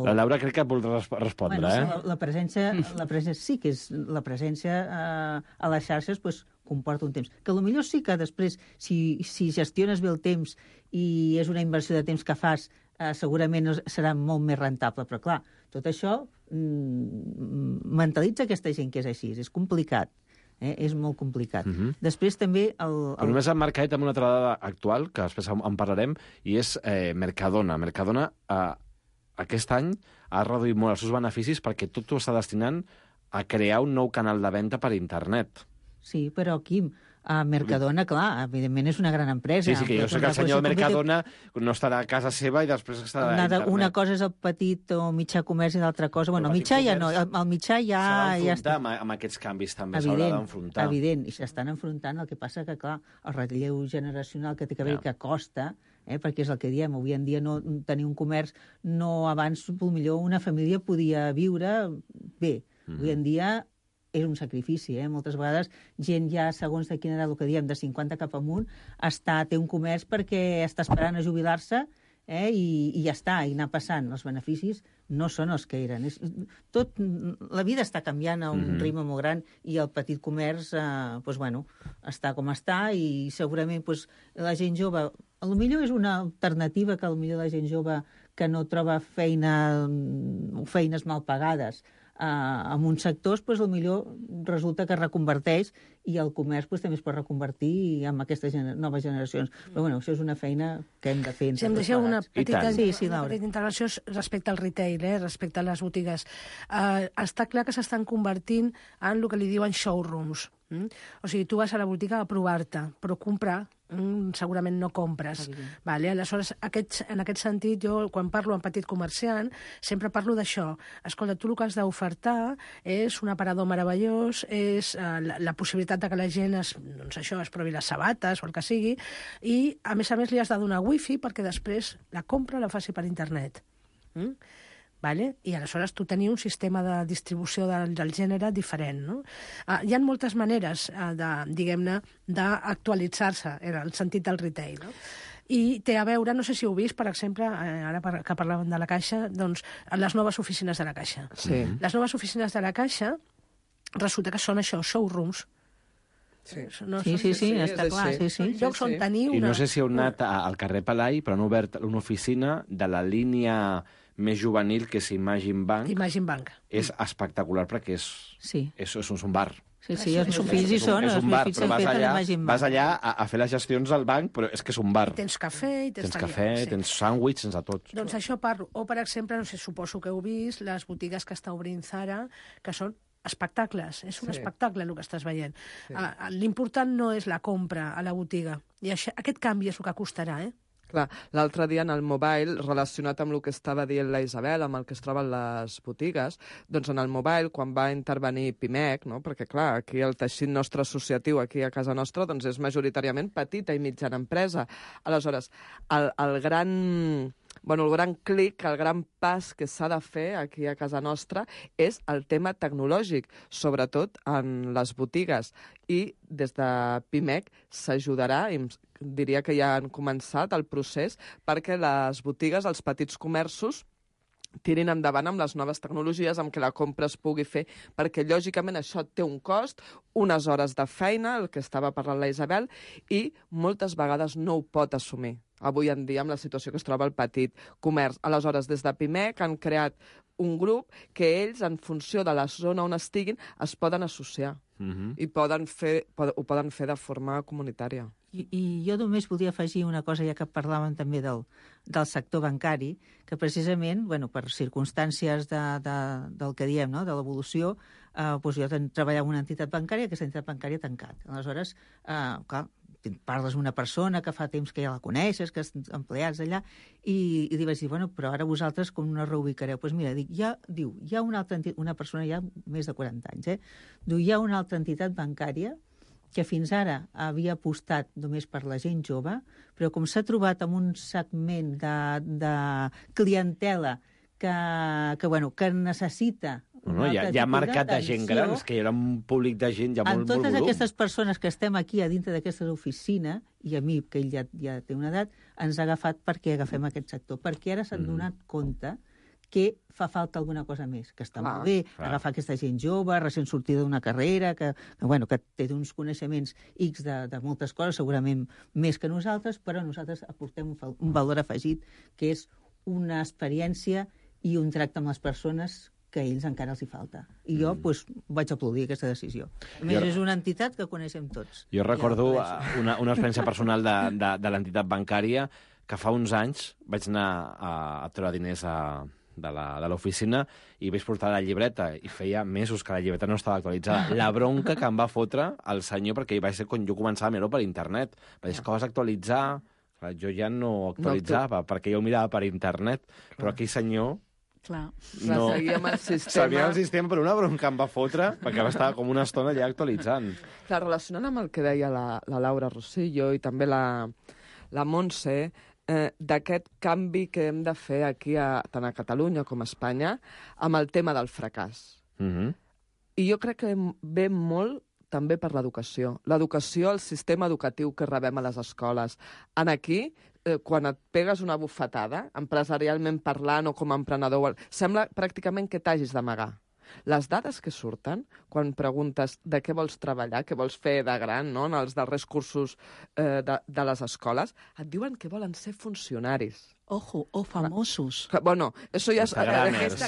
la Laura crec que vol respondre, La presència sí que és... La presència a les xarxes comporta un temps. Que potser sí que després, si gestiones bé el temps i és una inversió de temps que fas, segurament serà molt més rentable. Però, clar, tot això mentalitza aquesta gent que és així. És complicat. És molt complicat. Després també... Però només ha marcat amb una altra dada actual, que després en parlarem, i és Mercadona. Mercadona aquest any ha reduït molt els seus beneficis perquè tot ho està destinant a crear un nou canal de venda per internet. Sí, però, Quim, Mercadona, clar, evidentment és una gran empresa. Sí, que jo sé que el senyor de Mercadona no estarà a casa seva i després estarà a internet. Una cosa és el petit o mitjà comerç i l'altra cosa... el mitjà ja no, el mitjà ja... S'ha d'enfrontar amb aquests canvis també, s'haurà d'enfrontar. Evident, i s'estan enfrontant. El que passa que, clar, el relleu generacional que té que haver que costa, perquè és el que diem, avui en dia no tenir un comerç, no abans, potser una família podia viure bé. Avui en dia és un sacrifici, moltes vegades gent ja, segons de quina edat, el que diem, de 50 cap amunt, té un comerç perquè està esperant a jubilar-se i ja està, i anar passant. Els beneficis no són els que eren. La vida està canviant a un ritme molt gran i el petit comerç està com està i segurament la gent jove... Potser és una alternativa que potser la gent jove que no troba feines mal pagades en uns sectors, potser resulta que reconverteix i el comerç també es pot reconvertir amb aquestes noves generacions. Però això és una feina que hem de fer. Si em deixeu una petita petita intervenció respecte al retail, respecte a les botigues. Està clar que s'estan convertint en el que li diuen showrooms. O sigui, tu vas a la botiga a provar-te, però comprar segurament no compres. Vale? Aleshores, en aquest sentit, jo, quan parlo amb petit comerciant, sempre parlo d'això. Escolta, tu el que has d'ofertar és un aparador meravellós, és la possibilitat de que la gent es provi les sabates o el que sigui, i, a més, li has de donar wifi perquè després la compra la faci per internet. Vale? I aleshores tu tenies un sistema de distribució del gènere diferent. No? Hi ha moltes maneres, diguem-ne, d'actualitzar-se en el sentit del retail. No? I té a veure, no sé si heu vist, per exemple, ara que parlàvem de la Caixa, doncs les noves oficines de la Caixa. Sí. Les noves oficines de la Caixa resulta que són això, showrooms. Sí, està clar. Llocs on teniu... I no sé si heu anat al carrer Palai, però han obert una oficina de la línia més juvenil, que és Imagine Bank. Imagine Bank. És espectacular perquè és un bar. Sí, els meus fills hi són, és un bar, però vas allà a fer les gestions al banc, però és que és un bar. I tens cafè, tens sàndwich, tens de tot. Doncs això parlo. O, per exemple, no sé, suposo que heu vist les botigues que està obrint Zara, que són espectacles. És un espectacle el que estàs veient. Sí. L'important no és la compra a la botiga. I aquest canvi és el que costarà, Clar, l'altre dia en el mobile, relacionat amb el que estava dient la Isabel, amb el que es troben les botigues, doncs en el mobile, quan va intervenir Pimec, no? Perquè clar, aquí el teixit nostre associatiu, aquí a casa nostra, doncs és majoritàriament petita i mitjana empresa. Aleshores, el gran clic, el gran pas que s'ha de fer aquí a casa nostra és el tema tecnològic, sobretot en les botigues. I des de Pimec s'ajudarà, diria que ja han començat el procés, perquè les botigues, els petits comerços, tirin endavant amb les noves tecnologies, amb què la compra es pugui fer, perquè lògicament això té un cost, unes hores de feina, el que estava parlant la Isabel, i moltes vegades no ho pot assumir. Avui en dia, amb la situació que es troba el petit comerç. Aleshores, des de Pimec han creat un grup que ells, en funció de la zona on estiguin, es poden associar i ho poden fer de forma comunitària. I jo només volia afegir una cosa, ja que parlàvem també del sector bancari, que precisament, per circumstàncies del que diem, no? De l'evolució, jo treballava en una entitat bancària, aquesta entitat bancària ha tancat. Aleshores, clar, parles amb una persona que fa temps que ja la coneixes, que és empleats allà, i li vaig dir, però ara vosaltres com no reubicareu? Doncs mira, hi ha una persona ja més de 40 anys, hi ha una altra entitat bancària que fins ara havia apostat només per la gent jove, però com s'ha trobat amb un segment de clientela que necessita hi ha mercat de gent gran, que hi ha un públic de gent ja molt volum. Totes aquestes persones que estem aquí a dintre d'aquesta oficina, i a mi, que ell ja té una edat, ens ha agafat perquè agafem aquest sector, perquè ara s'han donat compte que fa falta alguna cosa més, que està molt bé agafar aquesta gent jove, recent sortida d'una carrera, que té uns coneixements X de moltes coses, segurament més que nosaltres, però nosaltres aportem un valor afegit, que és una experiència i un tracte amb les persones que a ells encara els hi falta. I jo vaig aplaudir aquesta decisió. A més, és una entitat que coneixem tots. Jo recordo una experiència personal de l'entitat bancària, que fa uns anys vaig anar a treure diners de l'oficina i vaig portar la llibreta i feia mesos que la llibreta no estava actualitzada. La bronca que em va fotre el senyor, perquè va ser quan jo començava a mirar-ho per internet. Va dir, que vas actualitzar... Jo ja no actualitzava, perquè jo ho mirava per internet, però aquell senyor... Clar. No. Seguia amb el sistema. Sabia el sistema, però una bronca em va fotre perquè estava com una estona allà actualitzant. Clar, relacionant amb el que deia la Laura Rosillo i també la Montse, d'aquest canvi que hem de fer aquí, tant a Catalunya com a Espanya, amb el tema del fracàs. I jo crec que ve molt també per l'educació. L'educació, el sistema educatiu que rebem a les escoles. Aquí, quan et pegues una bufetada, empresarialment parlant o com a emprenedor, sembla pràcticament que t'hagis d'amagar. Les dades que surten, quan preguntes de què vols treballar, què vols fer de gran, no? En els darrers cursos de les escoles, et diuen que volen ser funcionaris. Ojo, o famosos. Bueno, això ja és...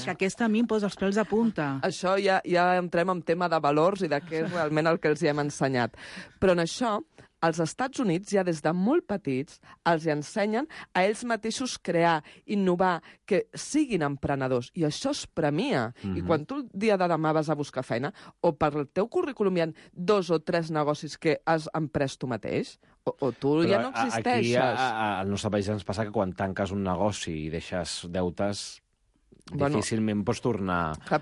Aquesta a mi em posa els pèls de punta. Això ja entrem en tema de valors i de què és realment el que els hi hem ensenyat. Però en això, als Estats Units, ja des de molt petits, els ensenyen a ells mateixos crear, innovar, que siguin emprenedors. I això es premia. I quan tu el dia de demà vas a buscar feina, o per el teu currículum hi ha 2 o 3 negocis que has emprès tu mateix, O tu ja no existeixes. Aquí al nostre país ens passa que quan tanques un negoci i deixes deutes, difícilment pots tornar a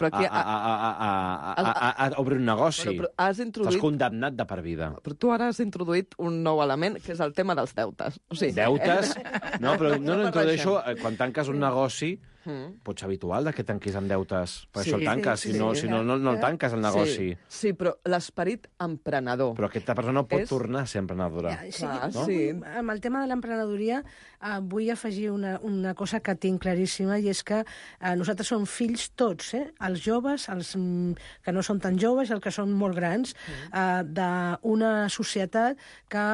obrir un negoci. Estàs condemnat de per vida. Però tu ara has introduït un nou element, que és el tema dels deutes. Deutes? No, però no introdueixo... Quan tanques un negoci, pot ser habitual que tanquis amb deutes. Per això el tanques, si no el tanques, el negoci. Sí, però l'esperit emprenedor... Però aquesta persona pot tornar a ser emprenedora. Sí. Amb el tema de l'emprenedoria vull afegir una cosa que tinc claríssima, i és que nosaltres som fills tots, els joves, els que no són tan joves, els que són molt grans, d'una societat que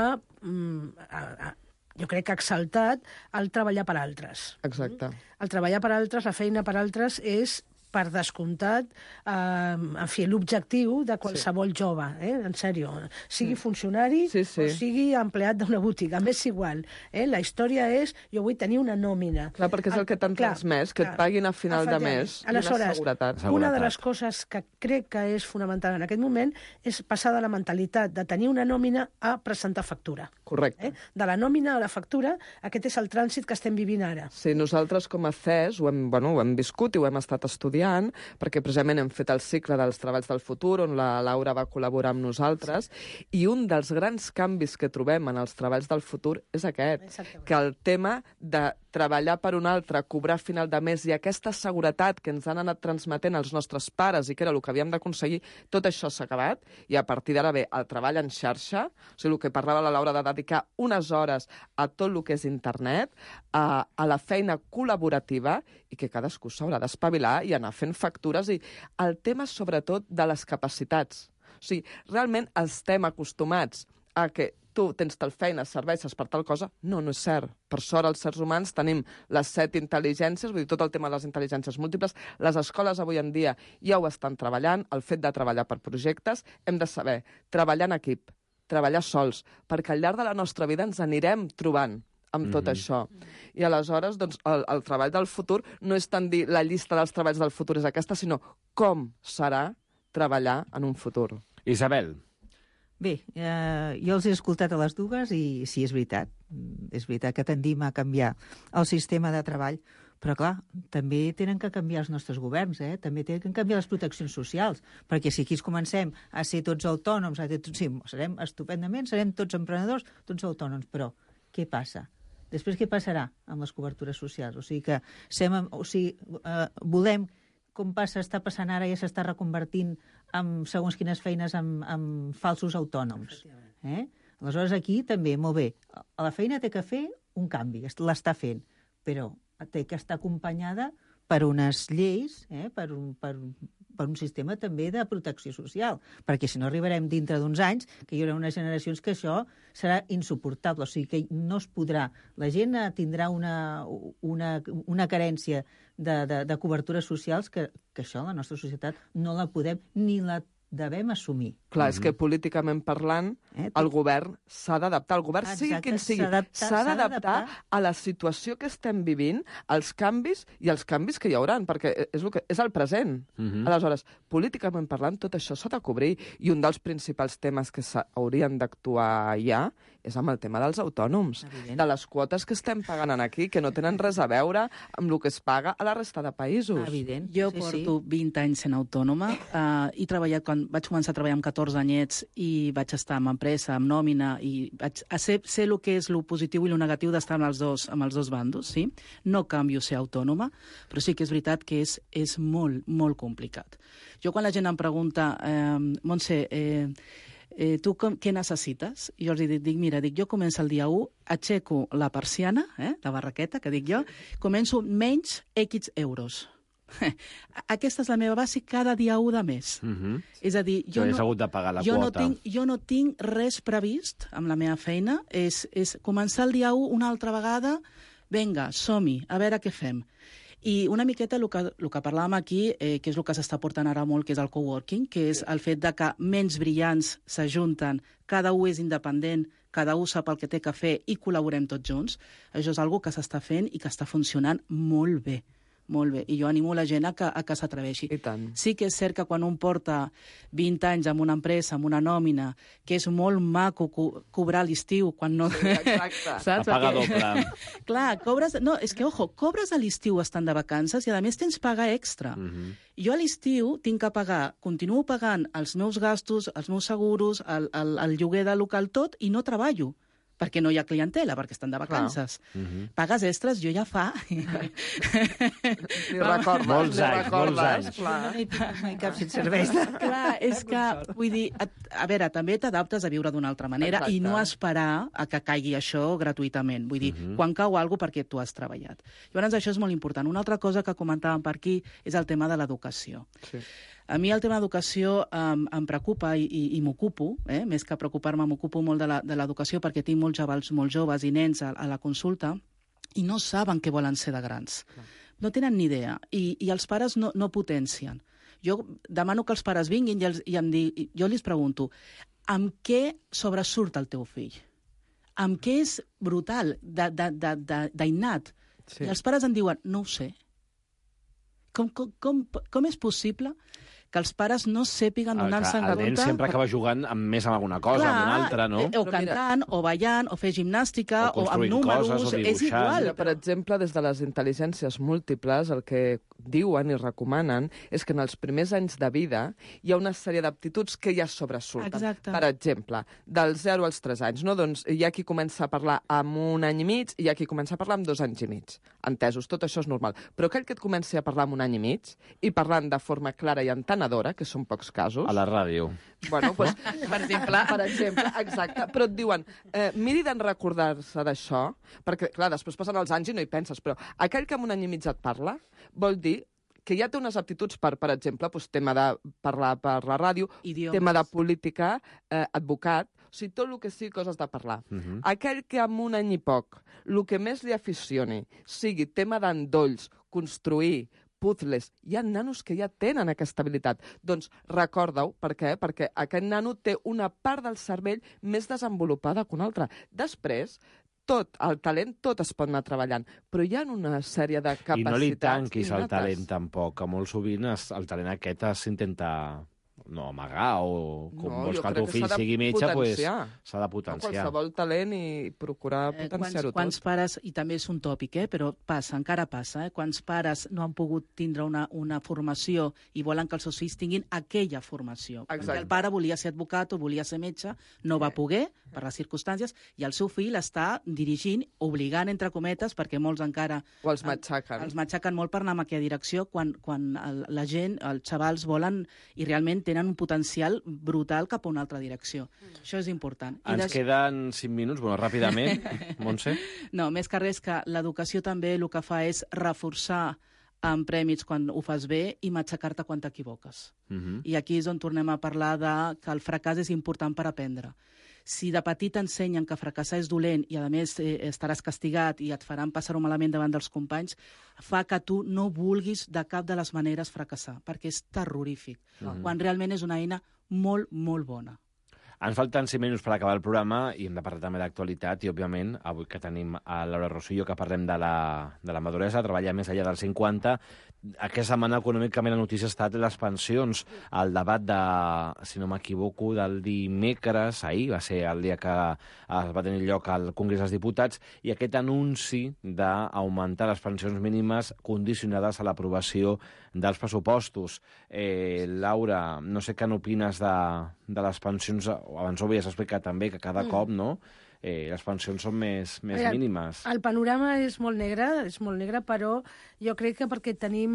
jo crec que ha exaltat el treballar per altres. Exacte. El treballar per altres, la feina per altres, és per descomptat, en fi, l'objectiu de qualsevol jove, en sèrio. Sigui funcionari o sigui empleat d'una botiga, m'és igual. La història és, jo vull tenir una nòmina. Clar, perquè és el que t'han transmès, que et paguin a final de mes i una seguretat. Una de les coses que crec que és fonamental en aquest moment és passar de la mentalitat de tenir una nòmina a presentar factura. Correcte. De la nòmina a la factura, aquest és el trànsit que estem vivint ara. Sí, nosaltres com a CES ho hem viscut i ho hem estat estudiant, perquè precisament hem fet el cicle dels treballs del futur, on la Laura va col·laborar amb nosaltres, i un dels grans canvis que trobem en els treballs del futur és aquest, que el tema de treballar per un altre, cobrar a final de mes, i aquesta seguretat que ens han anat transmetent els nostres pares i que era el que havíem d'aconseguir, tot això s'ha acabat, i a partir d'ara ve el treball en xarxa, o sigui, el que parlava la Laura de dedicar unes hores a tot el que és internet, a la feina col·laborativa, i que cadascú s'haurà d'espavilar i anar fent factures, i el tema sobretot de les capacitats. O sigui, realment estem acostumats a que tu tens tal feina, serveixes per tal cosa. No és cert. Per sort, els éssers humans tenim les 7 intel·ligències, vull dir, tot el tema de les intel·ligències múltiples. Les escoles avui en dia ja ho estan treballant, el fet de treballar per projectes. Hem de saber treballar en equip, treballar sols, perquè al llarg de la nostra vida ens anirem trobant amb tot això. I aleshores, doncs, el treball del futur no és tant dir la llista dels treballs del futur és aquesta, sinó com serà treballar en un futur. Isabel. Bé, jo els he escoltat a les dues i sí, és veritat. És veritat que tendim a canviar el sistema de treball, però, clar, també tenen que canviar els nostres governs, també tenen que canviar les proteccions socials, perquè si aquí comencem a ser tots autònoms, sí, serem estupendament, serem tots emprenedors, tots autònoms, però què passa? Després què passarà amb les cobertures socials? O sigui que volem, com està passant ara, ja s'està reconvertint en segons quines feines en falsos autònoms. Aleshores aquí també, molt bé, la feina té que fer un canvi, l'està fent, però té que estar acompanyada per unes lleis, per un sistema també de protecció social, perquè si no arribarem dintre d'uns anys que hi haurà unes generacions que això serà insuportable, o sigui que no es podrà. La gent tindrà una carència de cobertures socials que això la nostra societat no la podem ni la devem assumir. Clar, és que políticament parlant, el govern s'ha d'adaptar. El govern, sigui quin sigui, s'ha d'adaptar a la situació que estem vivint, als canvis i als canvis que hi haurà, perquè és el present. Aleshores, políticament parlant, tot això s'ha de cobrir, i un dels principals temes que haurien d'actuar ja és amb el tema dels autònoms, de les quotes que estem pagant aquí, que no tenen res a veure amb el que es paga a la resta de països. Jo porto 20 anys sent autònoma, he treballat quan vaig començar a treballar amb 14 anyets i vaig estar en empresa, amb nòmina, i vaig ser el que és el positiu i el negatiu d'estar amb els dos bandos, sí? No canvio ser autònoma, però sí que és veritat que és molt, molt complicat. Jo quan la gent em pregunta, Montse, tu què necessites? I jo els dic, mira, jo començo el dia 1, aixeco la persiana, la barraqueta, que dic jo, començo menys X euros. Aquesta és la meva base cada dia 1 de mes. És a dir, jo no tinc res previst amb la meva feina, és començar el dia 1 una altra vegada, vinga, som-hi, a veure què fem. I una miqueta el que parlàvem aquí, que és el que s'està portant ara molt, que és el coworking, que és el fet de que ments brillants s'ajunten, cada un és independent, cada un sap el que té que fer i col·laborem tots junts. Això és una cosa que s'està fent i que està funcionant molt bé. Molt bé, i jo animo la gent a que s'atreveixi. I tant. Sí que és cert que quan un porta 20 anys en una empresa, amb una nòmina, que és molt maco cobrar l'estiu, quan no... Sí, exacte. Saps? Paga doble. Clar, cobres... No, és que, ojo, cobres a l'estiu estant de vacances i, a més, tens paga extra. Jo a l'estiu tinc que pagar, continuo pagant els meus gastos, els meus seguros, el lloguer del local, tot, i no treballo, perquè no hi ha clientela, perquè estan de vacances. Pagues extres, jo ja fa... Ni recordes. Molts anys. Clar. No hi cap sense serveis. Clar, és que, vull dir, a veure, també t'adaptes a viure d'una altra manera. Exacte. I no esperar a que caigui això gratuïtament. Vull dir, quan cau alguna cosa perquè tu has treballat. Llavors, això és molt important. Una altra cosa que comentàvem per aquí és el tema de l'educació. Sí. A mi el tema d'educació em preocupa i m'ocupo, més que preocupar-me, m'ocupo molt de l'educació perquè tinc molts xavals molt joves i nens a la consulta i no saben què volen ser de grans. No tenen ni idea i els pares no potencien. Jo demano que els pares vinguin jo els pregunto amb què sobresurt el teu fill? Amb què és brutal, d'innat? Sí. I els pares em diuen, no ho sé. Com és possible que els pares no sàpiguen donar-se en compte... El nen sempre acaba jugant més amb alguna cosa, amb una altra, no? O cantant, o ballant, o fer gimnàstica, o amb números... Coses, és igual. Mira, per exemple, des de les intel·ligències múltiples, el que diuen i recomanen és que en els primers anys de vida hi ha una sèrie d'aptituds que ja sobresurten. Exacte. Per exemple, dels 0 als 3 anys, no? Doncs hi ha qui comença a parlar amb 1 any i mig i hi ha qui comença a parlar amb 2 anys i mig. Entesos, tot això és normal. Però aquell que et comenci a parlar amb 1 any i mig i parlant de forma clara i entenedora, que són pocs casos... A la ràdio. Bueno, doncs, per exemple, exacte. Però et diuen, miri d'en recordar-se d'això, perquè, clar, després passen els anys i no hi penses, però aquell que amb 1 any i mig et parla vol dir que ja té unes aptituds per exemple, doncs, tema de parlar per la ràdio, idiomes, tema de política, advocat, o sigui, tot el que sigui coses de parlar. Aquell que amb 1 any i poc, el que més li aficioni sigui tema d'endolls, construir, puzzles, hi ha nanos que ja tenen aquesta habilitat. Doncs recorda-ho, per què? Perquè aquest nano té una part del cervell més desenvolupada que una altra. Després, el talent tot es pot anar treballant, però hi ha una sèrie de capacitats... I no li tanquis el talent, tampoc, que molt sovint el talent aquest s'intenta amagar, o com vols que el teu fill sigui metge, s'ha de potenciar. Qualsevol talent i procurar potenciar-ho tot. Quants pares, i també és un tòpic, però encara passa, quants pares no han pogut tindre una formació i volen que els seus fills tinguin aquella formació. Perquè el pare volia ser advocat o volia ser metge, no va poder, per les circumstàncies, i el seu fill està dirigint, obligant, entre cometes, perquè molts encara... O els matxaquen. Els matxaquen molt per anar en aquella direcció, quan la gent, els xavals, volen i realment tenen un potencial brutal cap a una altra direcció. Això és important. Ens queden 5 minuts, ràpidament, Montse. No, més que res que l'educació també el que fa és reforçar amb prèmits quan ho fas bé i matxacar-te quan t'equivoques. I aquí és on tornem a parlar que el fracàs és important per aprendre. Si de petit t'ensenyen que fracassar és dolent i, a més, estaràs castigat i et faran passar-ho malament davant dels companys, fa que tu no vulguis de cap de les maneres fracassar, perquè és terrorífic, quan realment és una eina molt, molt bona. Ens falten 5 minuts per acabar el programa i hem de parlar també d'actualitat i, òbviament, avui que tenim a Laura Rosillo, que parlem de la maduresa, treballa més enllà dels 50. Aquesta setmana, econòmicament, la notícia ha estat les pensions. El debat si no m'equivoco, del dimecres, ahir va ser el dia que es va tenir lloc al Congrés dels Diputats, i aquest anunci d'augmentar les pensions mínimes condicionades a l'aprovació dels pressupostos. Laura, no sé què n'opines de les pensions. Abans ho havies explicat també, que cada cop, no?, les pensions són més mínimes. El panorama és molt negre, però jo crec que perquè tenim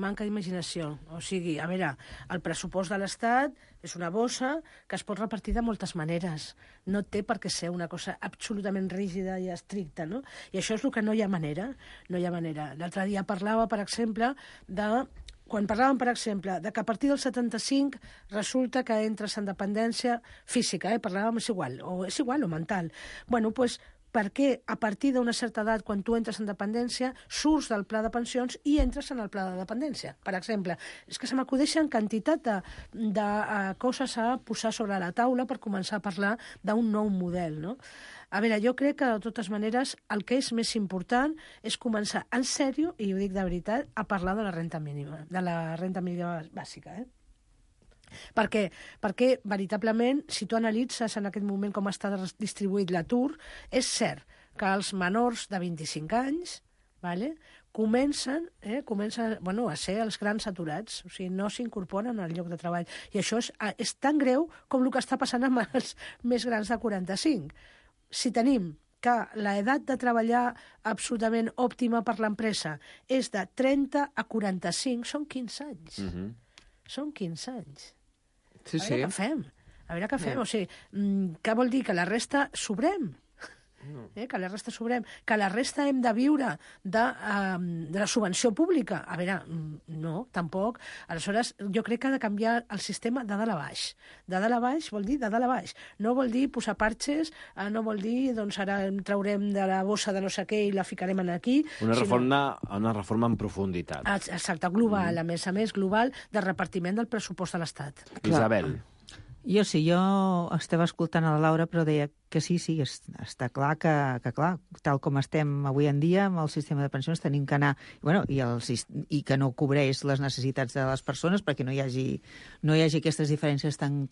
manca d'imaginació. O sigui, a veure, el pressupost de l'Estat és una bossa que es pot repartir de moltes maneres. No té per què ser una cosa absolutament rígida i estricta, no? I això és el que no hi ha manera. No hi ha manera. L'altre dia parlava, per exemple, quan parlàvem, per exemple, que a partir del 75 resulta que entres en dependència física, parlàvem, és igual, o mental. Bueno, doncs, perquè a partir d'una certa edat, quan tu entres en dependència, surts del pla de pensions i entres en el pla de dependència. Per exemple, és que se m'acudeixen quantitat de coses a posar sobre la taula per començar a parlar d'un nou model, no? A veure, jo crec que, de totes maneres, el que és més important és començar en sèrio, i ho dic de veritat, a parlar de la renda mínima bàsica, Perquè, veritablement, si tu analitzes en aquest moment com està distribuït l'atur, és cert que els menors de 25 anys comencen a ser els grans aturats, o sigui, no s'incorporen al lloc de treball. I això és tan greu com el que està passant amb els més grans de 45. Si tenim que l'edat de treballar absolutament òptima per l'empresa és de 30 a 45, són 15 anys. Són 15 anys. Sí, a veure què fem. A veure què fem. O sigui, què vol dir? Que la resta sobrem. Que la resta sobrem. Que la resta hem de viure de la subvenció pública. A veure, no, tampoc. Aleshores, jo crec que ha de canviar el sistema de dalt a baix. De dalt a baix vol dir de dalt a baix. No vol dir posar parxes, no vol dir, doncs ara en traurem de la bossa de no sé què i la ficarem aquí. Una reforma en profunditat. Exacte, global, a més global, de repartiment del pressupost de l'Estat. Isabel. Jo estava escoltant a la Laura, però deia que sí, està clar que clar, tal com estem avui en dia amb el sistema de pensions tenim que anar, i que no cobreix les necessitats de les persones perquè no hi hagi aquestes diferències tan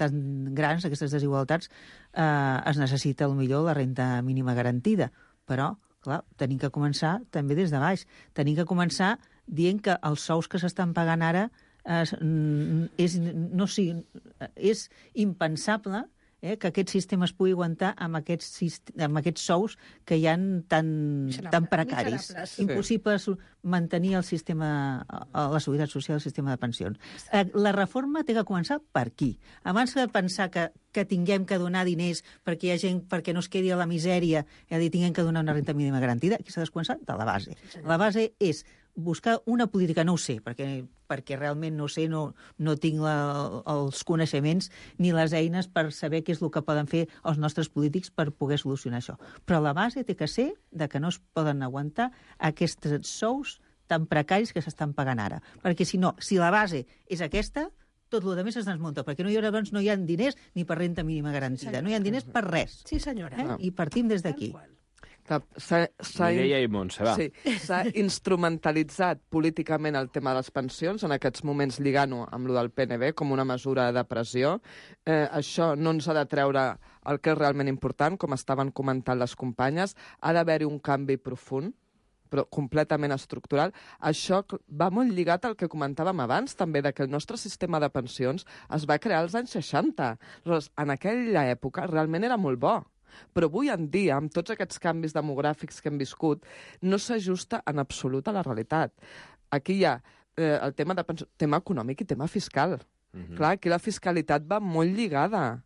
grans, aquestes desigualtats, es necessita millor la renda mínima garantida. Però, clar, tenim que començar també des de baix. Tenim que començar dient que els sous que s'estan pagant ara és impensable que aquest sistema es pugui aguantar amb aquests sous que hi ha tan precaris. Impossible mantenir el sistema, la seguretat social, el sistema de pensions. La reforma té que començar per aquí. Abans de pensar que tinguem que donar diners perquè hi ha gent perquè no es quedi a la misèria, tinguem que donar una renda mínima garantida, aquí s'ha de començar de la base. La base és buscar una política, no ho sé, perquè realment no sé, no tinc els coneixements ni les eines per saber què és el que poden fer els nostres polítics per poder solucionar això. Però la base té que ser de que no es poden aguantar aquests sous tan precaris que s'estan pagant ara. Perquè si la base és aquesta, tot el que més es desmunta, perquè no hi ha diners ni per renda mínima garantida, no hi ha diners per res. Sí, senyora. I partim des d'aquí. Mireia i Montse, va. Sí, s'ha instrumentalitzat políticament el tema de les pensions, en aquests moments lligant-ho amb el del PNB com una mesura de pressió. Això no ens ha de treure el que és realment important, com estaven comentant les companyes. Ha d'haver-hi un canvi profund, però completament estructural. Això va molt lligat al que comentàvem abans, també, que el nostre sistema de pensions es va crear als anys 60. Aleshores, en aquella època realment era molt bo. Però avui en dia, amb tots aquests canvis demogràfics que hem viscut, no s'ajusta en absolut a la realitat. Aquí hi ha el tema econòmic i tema fiscal. Clar, aquí la fiscalitat va molt lligada.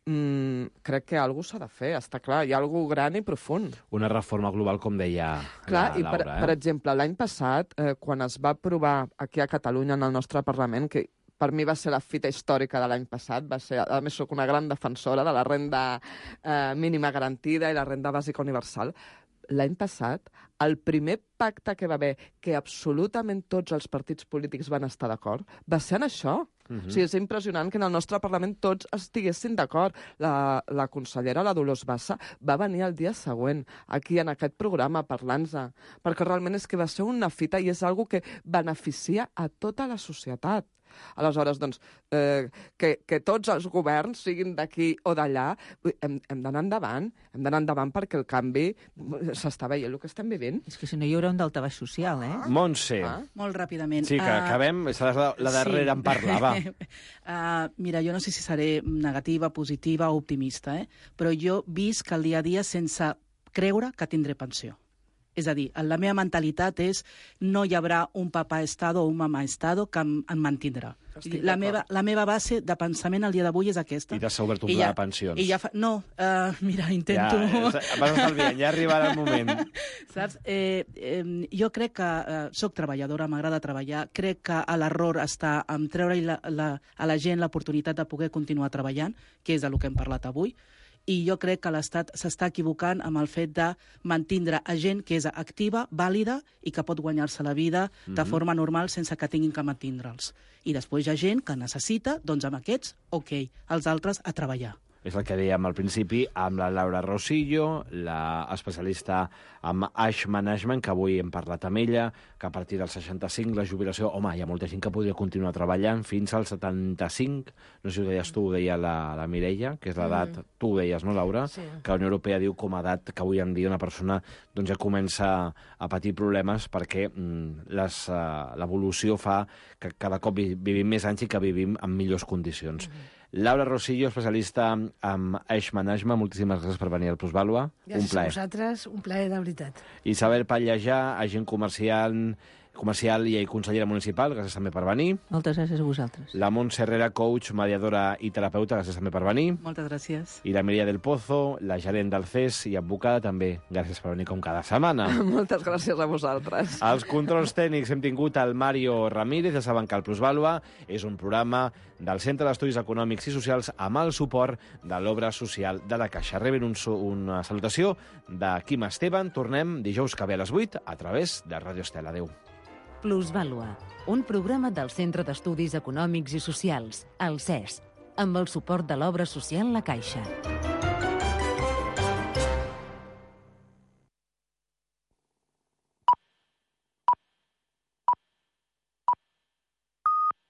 Crec que alguna cosa s'ha de fer, està clar, hi ha alguna cosa gran i profund. Una reforma global, com deia clar, la Laura. Per exemple, l'any passat, quan es va aprovar aquí a Catalunya, en el nostre Parlament, que per mi va ser la fita històrica de l'any passat, a més soc una gran defensora de la renda mínima garantida i la renda bàsica universal. L'any passat, el primer pacte que va haver, que absolutament tots els partits polítics van estar d'acord, va ser en això. O sigui, és impressionant que en el nostre Parlament tots estiguessin d'acord. La consellera, la Dolors Bassa, va venir el dia següent aquí en aquest programa parlant-ne, perquè realment és que va ser una fita i és una que beneficia a tota la societat. Aleshores, doncs, que tots els governs, siguin d'aquí o d'allà, hem d'anar endavant perquè el canvi s'està veient el que estem vivint. És que si no hi haurà un daltabaix social, Montse. Molt ràpidament. Sí, que acabem, seràs la darrera en parlar, va. Mira, jo no sé si seré negativa, positiva o optimista, però jo visc el dia a dia sense creure que tindré pensió. És a dir, la meva mentalitat és no hi haurà un papà estado o un mamà estado que em mantindrà. La meva base de pensament al dia d'avui és aquesta. I t'has obert un pla de pensions. Mira, intento... Vas estalviant, ja arribarà el moment. Saps? Jo crec que soc treballadora, m'agrada treballar, crec que l'error està en treure a la gent l'oportunitat de poder continuar treballant, que és del que hem parlat avui, i jo crec que l'Estat s'està equivocant amb el fet de mantindre a gent que és activa, vàlida i que pot guanyar-se la vida de forma normal sense que tinguin que mantindre'ls. I després hi ha gent que necessita, doncs amb aquests, ok, els altres a treballar. És el que dèiem al principi amb la Laura Rosillo, l'especialista en Age Management, que avui hem parlat amb ella, que a partir del 65 la jubilació... Home, hi ha molta gent que podria continuar treballant fins als 75, no sé si ho deies tu, ho deia la Mireia, que és l'edat, tu ho deies, no, Laura? Sí. Que la Unió Europea diu com a edat que avui en dia una persona doncs, ja comença a patir problemes perquè l'evolució fa que cada cop vivim més anys i que vivim en millors condicions. Laura Rosillo, especialista en Age Management, moltíssimes gràcies per venir al Plusvàlua. Un plaer. Gràcies a vosaltres, un plaer de veritat. Isabel Pallejà, agent comercial i consellera municipal, gràcies també per venir. Moltes gràcies a vosaltres. La Montse Herrera, coach, mediadora i terapeuta, gràcies també per venir. Moltes gràcies. I la Mireia del Pozo, la gerent del CES i advocada, també gràcies per venir com cada setmana. Moltes gràcies a vosaltres. Als controls tècnics hem tingut el Mario Ramírez, ja saben que el Plusvàlua és un programa del Centre d'Estudis Econòmics i Socials amb el suport de l'Obra Social de la Caixa. Reben una salutació de Quim Esteban. Tornem dijous que ve a les 8 a través de Ràdio Estel. Adéu. Plusvàlua, un programa del Centre d'Estudis Econòmics i Socials, el CES, amb el suport de l'Obra Social La Caixa.